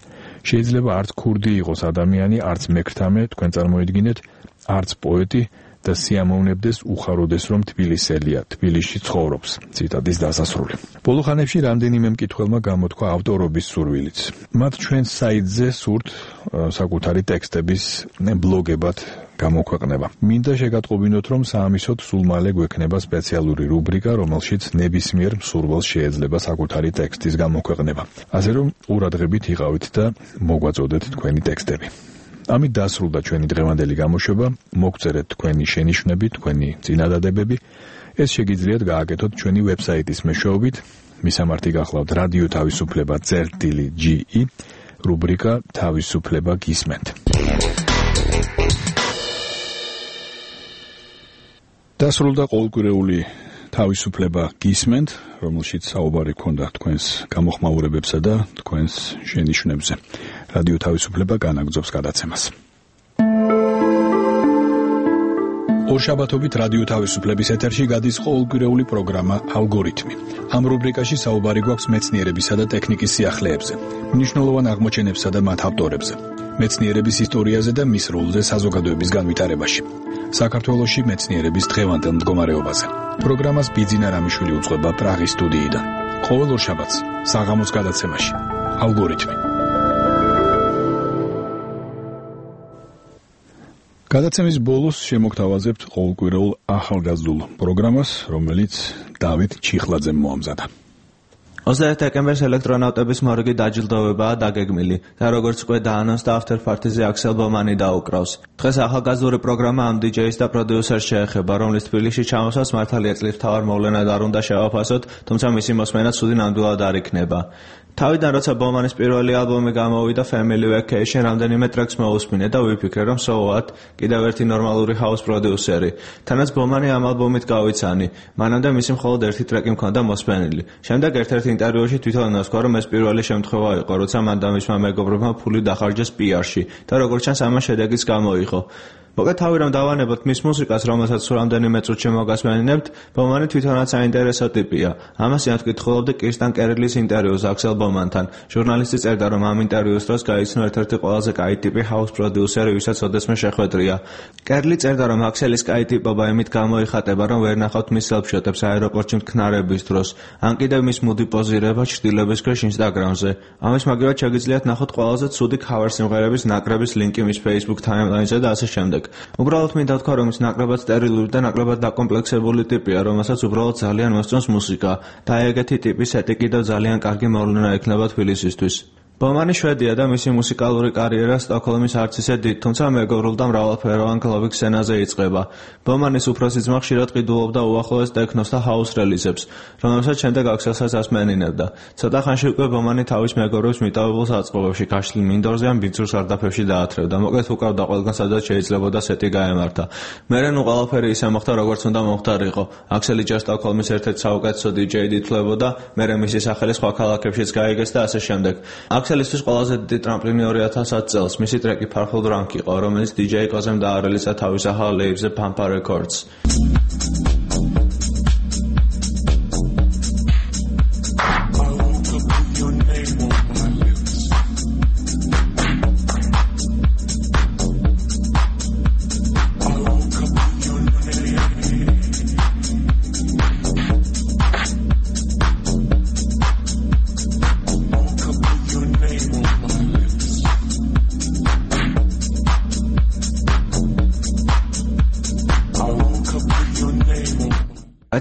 შეიძლება არც ქურდი იყოს ადამიანი, არც მექრთამე, თქვენ წარმოიდგინეთ, არც პოეტი და სიამოვნებდეს უხაროდეს, რომ თბილისელია, თბილისში ცხოვრობს. ციტატის დასასრული. ბოლო ხანებში რამდენიმე მკითხველმა გამოთქვა ავტორობის სურვილიც. მათ ჩვენს საიტზე სურთ საკუთარი ტექსტების ბლოგებად გამოქვეყნება. მინდა შეგატყობინოთ, რომ საამისოდ სულ მალე გვექნება სპეციალური რუბრიკა, რომელშიც ნებისმიერ მსურველს შეიძლება საკუთარი ტექსტის გამოქვეყნება. ასე რომ ყურადღებით იყავით და მოგვაწოდეთ თქვენი ტექსტები. ამით დასრულდა ჩვენი დღევანდელი გამოშვება. მოგწერეთ თქვენი შენიშვნები, თქვენი წინადადებები. ეს შეგიძლიათ გააკეთოთ ჩვენი ვებსაიტის მეშვეობით მისამართი გახლავთ რადიო თავისუფლება წერტილი GE რუბრიკა თავისუფლება გისმენთ. დასრულდა ყოველკვირეული თავისუფლება გისმენთ, რომელშიც საუბარი ჰქონდა თქვენს გამოხმაურებებსა და თქვენს შენიშვნებზე. რადიო თავისუფლება განაგრძობს გადაცემას. ორშაბათობით რადიო თავისუფლების ეთერში გადის ყოველკვირეული პროგრამა ალგორითმი. ამ რუბრიკაში საუბარი გვაქვს მეცნიერებისა და ტექნიკის სიახლეებზე, მნიშვნელოვან აღმოჩენებსა და მათ ავტორებზე, მეცნიერების ისტორიაზე და მის როლზე საზოგადოების განვითარებაში. საქართველოში მეცნიერების დღევანდელ მდგომარეობაზე. პროგრამას ბიძინა რამიშვილი უძღვება პრაღის სტუდიიდან. ყოველ ორშაბათს საღამოს გადაცემაში ალგორითმი. გადაცემის ბოლოს შემოგთავაზებთ ყოველკვირეულ ახალგაზრდულ პროგრამას, რომელიც დავით ჩიხლაძემ მოამზადა.
21 დეკემბერს ელექტრონავტების მორგი დაჯილდოვებაა დაგეგმილი და როგორც უკვე დაანონსდა after party-ზე აქსელ ბომანი დაუკრავს. დღეს ახალგაზრდული პროგრამა ამ DJ-ს და პროდიუსერს შეეხება, რომლის თბილისში ჩამოსვლას მართალია წლის მთავარ მოვლენად არ უნდა შევაფასოთ, თუმცა მისი მოსმენა ცუდი ნამდვილად არ იქნება. თავიდან როცა ბომანის პირველი ალბომი გამოვიდა Family Vacation რამდენიმე ტრეკს მოусმინე და ვიფიქრე რომ so what კიდევ ერთი ნორმალური house პროდიუსერი. თანაც ბომანი ამ ალბომით გავიცანი. მანამდე მისი მხოლოდ ერთი ტრეკი მქონდა მოსმენილი. შემდეგ ერთ-ერთ ინტერვიუში თვითონ ნასკვა რომ ეს პირველი შემთხვევა იყო, როცა მან და მისმა მეგობრებმა ფული დახარჯეს PR-ში და როგორც ჩანს ამას შედეგიც გამოიღო. მოკლედ თავი რომ დავანებოთ მის მუსიკას, რომელსაც რამდენიმე წუთში მოგასმენინებთ, ბომანი თვითონაც საინტერესო ტიპია. ამას იმtkitxolobdi კრისტიან კერილის ინტერვიუს აქსელ ბომანთან. ჟურნალისტი წერდა, რომ ამ ინტერვიუს დროს გაიცნო ერთ-ერთი ყველაზე კაი ტიპი house პროდიუსერი, ვისაც ოდესმე შეხვედრია. კერლი წერდა, რომ აქსელის კაი ტიპობა იმით გამოიხატება, რომ ვერ ნახავთ მის სელფშოტებს აეროპორტში მტკნარების დროს, ან კიდევ მის მუდი პოზირება ჩრდილების ქვეშ ინსტაგრამზე. ამის მაგივრად შეგიძლიათ ნახოთ ყველაზე ცუდი cover სიმღერების ნაკრების ლინკი მის Facebook timeline-ზე და ასე შემდეგ. უბრალოდ მინდა თქვა, რომ ის ნაკლებად სტერილური და ნაკლებად დაკომპლექსებული ტიპია, რომელსაც უბრალოდ ძალიან მოსწონს მუსიკა და ეგეთი ტიპის ეტი კიდევ ძალიან კარგი მოვლენა იქნება თბილისისთვის. ბომანი შვედია და მისი მუსიკალური კარიერა სტოკჰოლმის არც ისე დიდ, თუმცა მეგობრულ და მრავალფეროვან კლუბ სცენაზე იწყება. ბომანის უფროსი ძმა ხშირად ყიდულობდა უახლოეს ტექნოს და ჰაუს რელიზებს, რომელსაც შემდეგ აქსელსაც ასმენინებდა. ცოტა ხანში უკვე ბომანი თავის მეგობრებს მიტოვებულ საწყობებში, გაშლილ მინდორზე ან ბიძურ სარდაფებში დაათრევდა. მოკლედ უკრავდა ყველგან, სადაც შეიძლებოდა სეტი გაემართა. მერე ნუ ყველაფერი ისე მოხდა, როგორც უნდა მოხდარიყო. აქსელი ჯერ სტოკჰოლმის ერთ-ერთ საუკეთესო DJ-ად ითვლებოდა, მერე მისი სახელი სხვა ქალაქებშიც გაიგეს და ასე შემდეგ. აქსელისთვის ყველაზე დიდი ტრამპლინი 2010 წელს მისი ტრეკი Purple Drunk იყო, რომელიც DJ Kozem დაარელიზა თავის ახალ ლეიბლზე Pampa Records.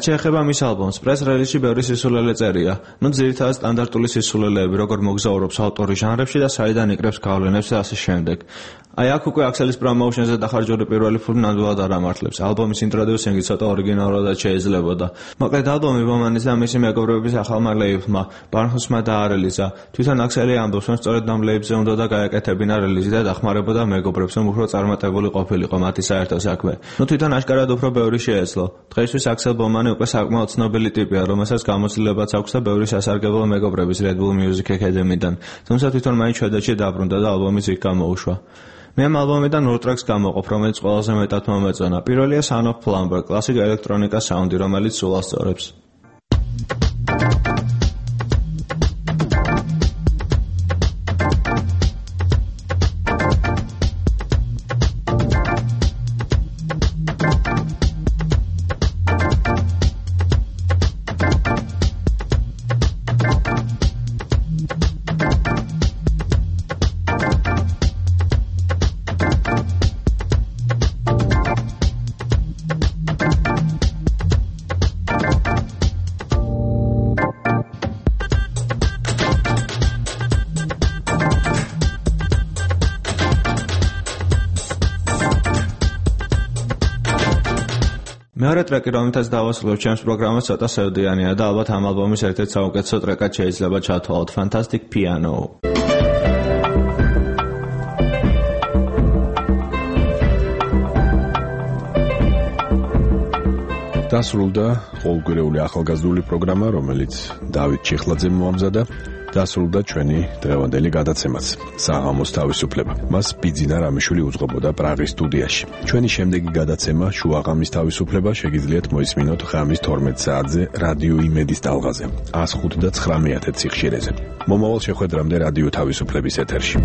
შეეხება მის ალბომს, პრეს რელიზში ბევრი სისულელე წერია. ნუ ძირითადად სტანდარტული სისულელეები, როგორ მოგზაურობს ავტორი ჟანრებში და საიდან იკრებს გავლენებს და ასე შემდეგ. აი აქ უკვე აქსელის პრომოუშენზე დახარჯული პირველი ფული ნამდვილად არ ამართლებს. ალბომის ინტროდიუსინგი ცოტა ორიგინალურად შეიძლებოდა. მოკლედ ალბომი ბომანის და მისი მეგობრების ახალმა ლეიბლმა, Barnhusma დაარელიზა. თვითონ აქსელი ამბობს, რომ სწორედ ამ ლეიბლზე უნდა და გაეკეთებინა რელიზი და დახმარებოდა მეგობრებს, რომ უფრო წარმატებული ყოფილიყო მათი საერთო საქმე. ნუ თვითონ აშკარად უფრო ბევრი შეეძლო. დღეისთვის აქსელ ბომანი უკვე საკმაოდ ცნობილი ტიპია, რომელსაც გამოცდილებაც აქვს და ბევრი სასარგებლო მეგობრების Red Bull Music Academy-დან. თუმცა თვითონ მაინც შვედეთში დაბრუნდა და ალბომიც იქ გამოუშვა. მე ამ ალბომიდან ორ ტრეკს გამოვყოფ, რომელიც ყველაზე მეტად მომეწონა. პირველია Son of Plumber, კლასიკ ელექტრონიკა საუნდი, რომელიც სულ ასწორებს. მეორე ტრეკი, რომელთაც დავასრულებ ჩემს პროგრამას, ცოტა სევდიანია და ალბათ ამ ალბომის ერთ-ერთ საუკეთესო ტრეკად შეიძლება ჩათვალოთ. Fantastic Piano.
დასრულდა ყოველკვირეული ახალგაზრდული პროგრამა, რომელიც დავით ჩიხლაძემ მოამზადა. დასრულდა ჩვენი დღევანდელი გადაცემაც საღამოს თავისუფლება. მას ბიძინა რამიშვილი უძღვებოდა პრაღის სტუდიაში. ჩვენი შემდეგი გადაცემა შუაღამის თავისუფლება შეგიძლიათ მოისმინოთ ღამის 12 საათზე რადიო იმედის ტალღაზე 105 და 9 სიხშირეზე. მომავალ შეხვედრამდე რადიო თავისუფლების ეთერში.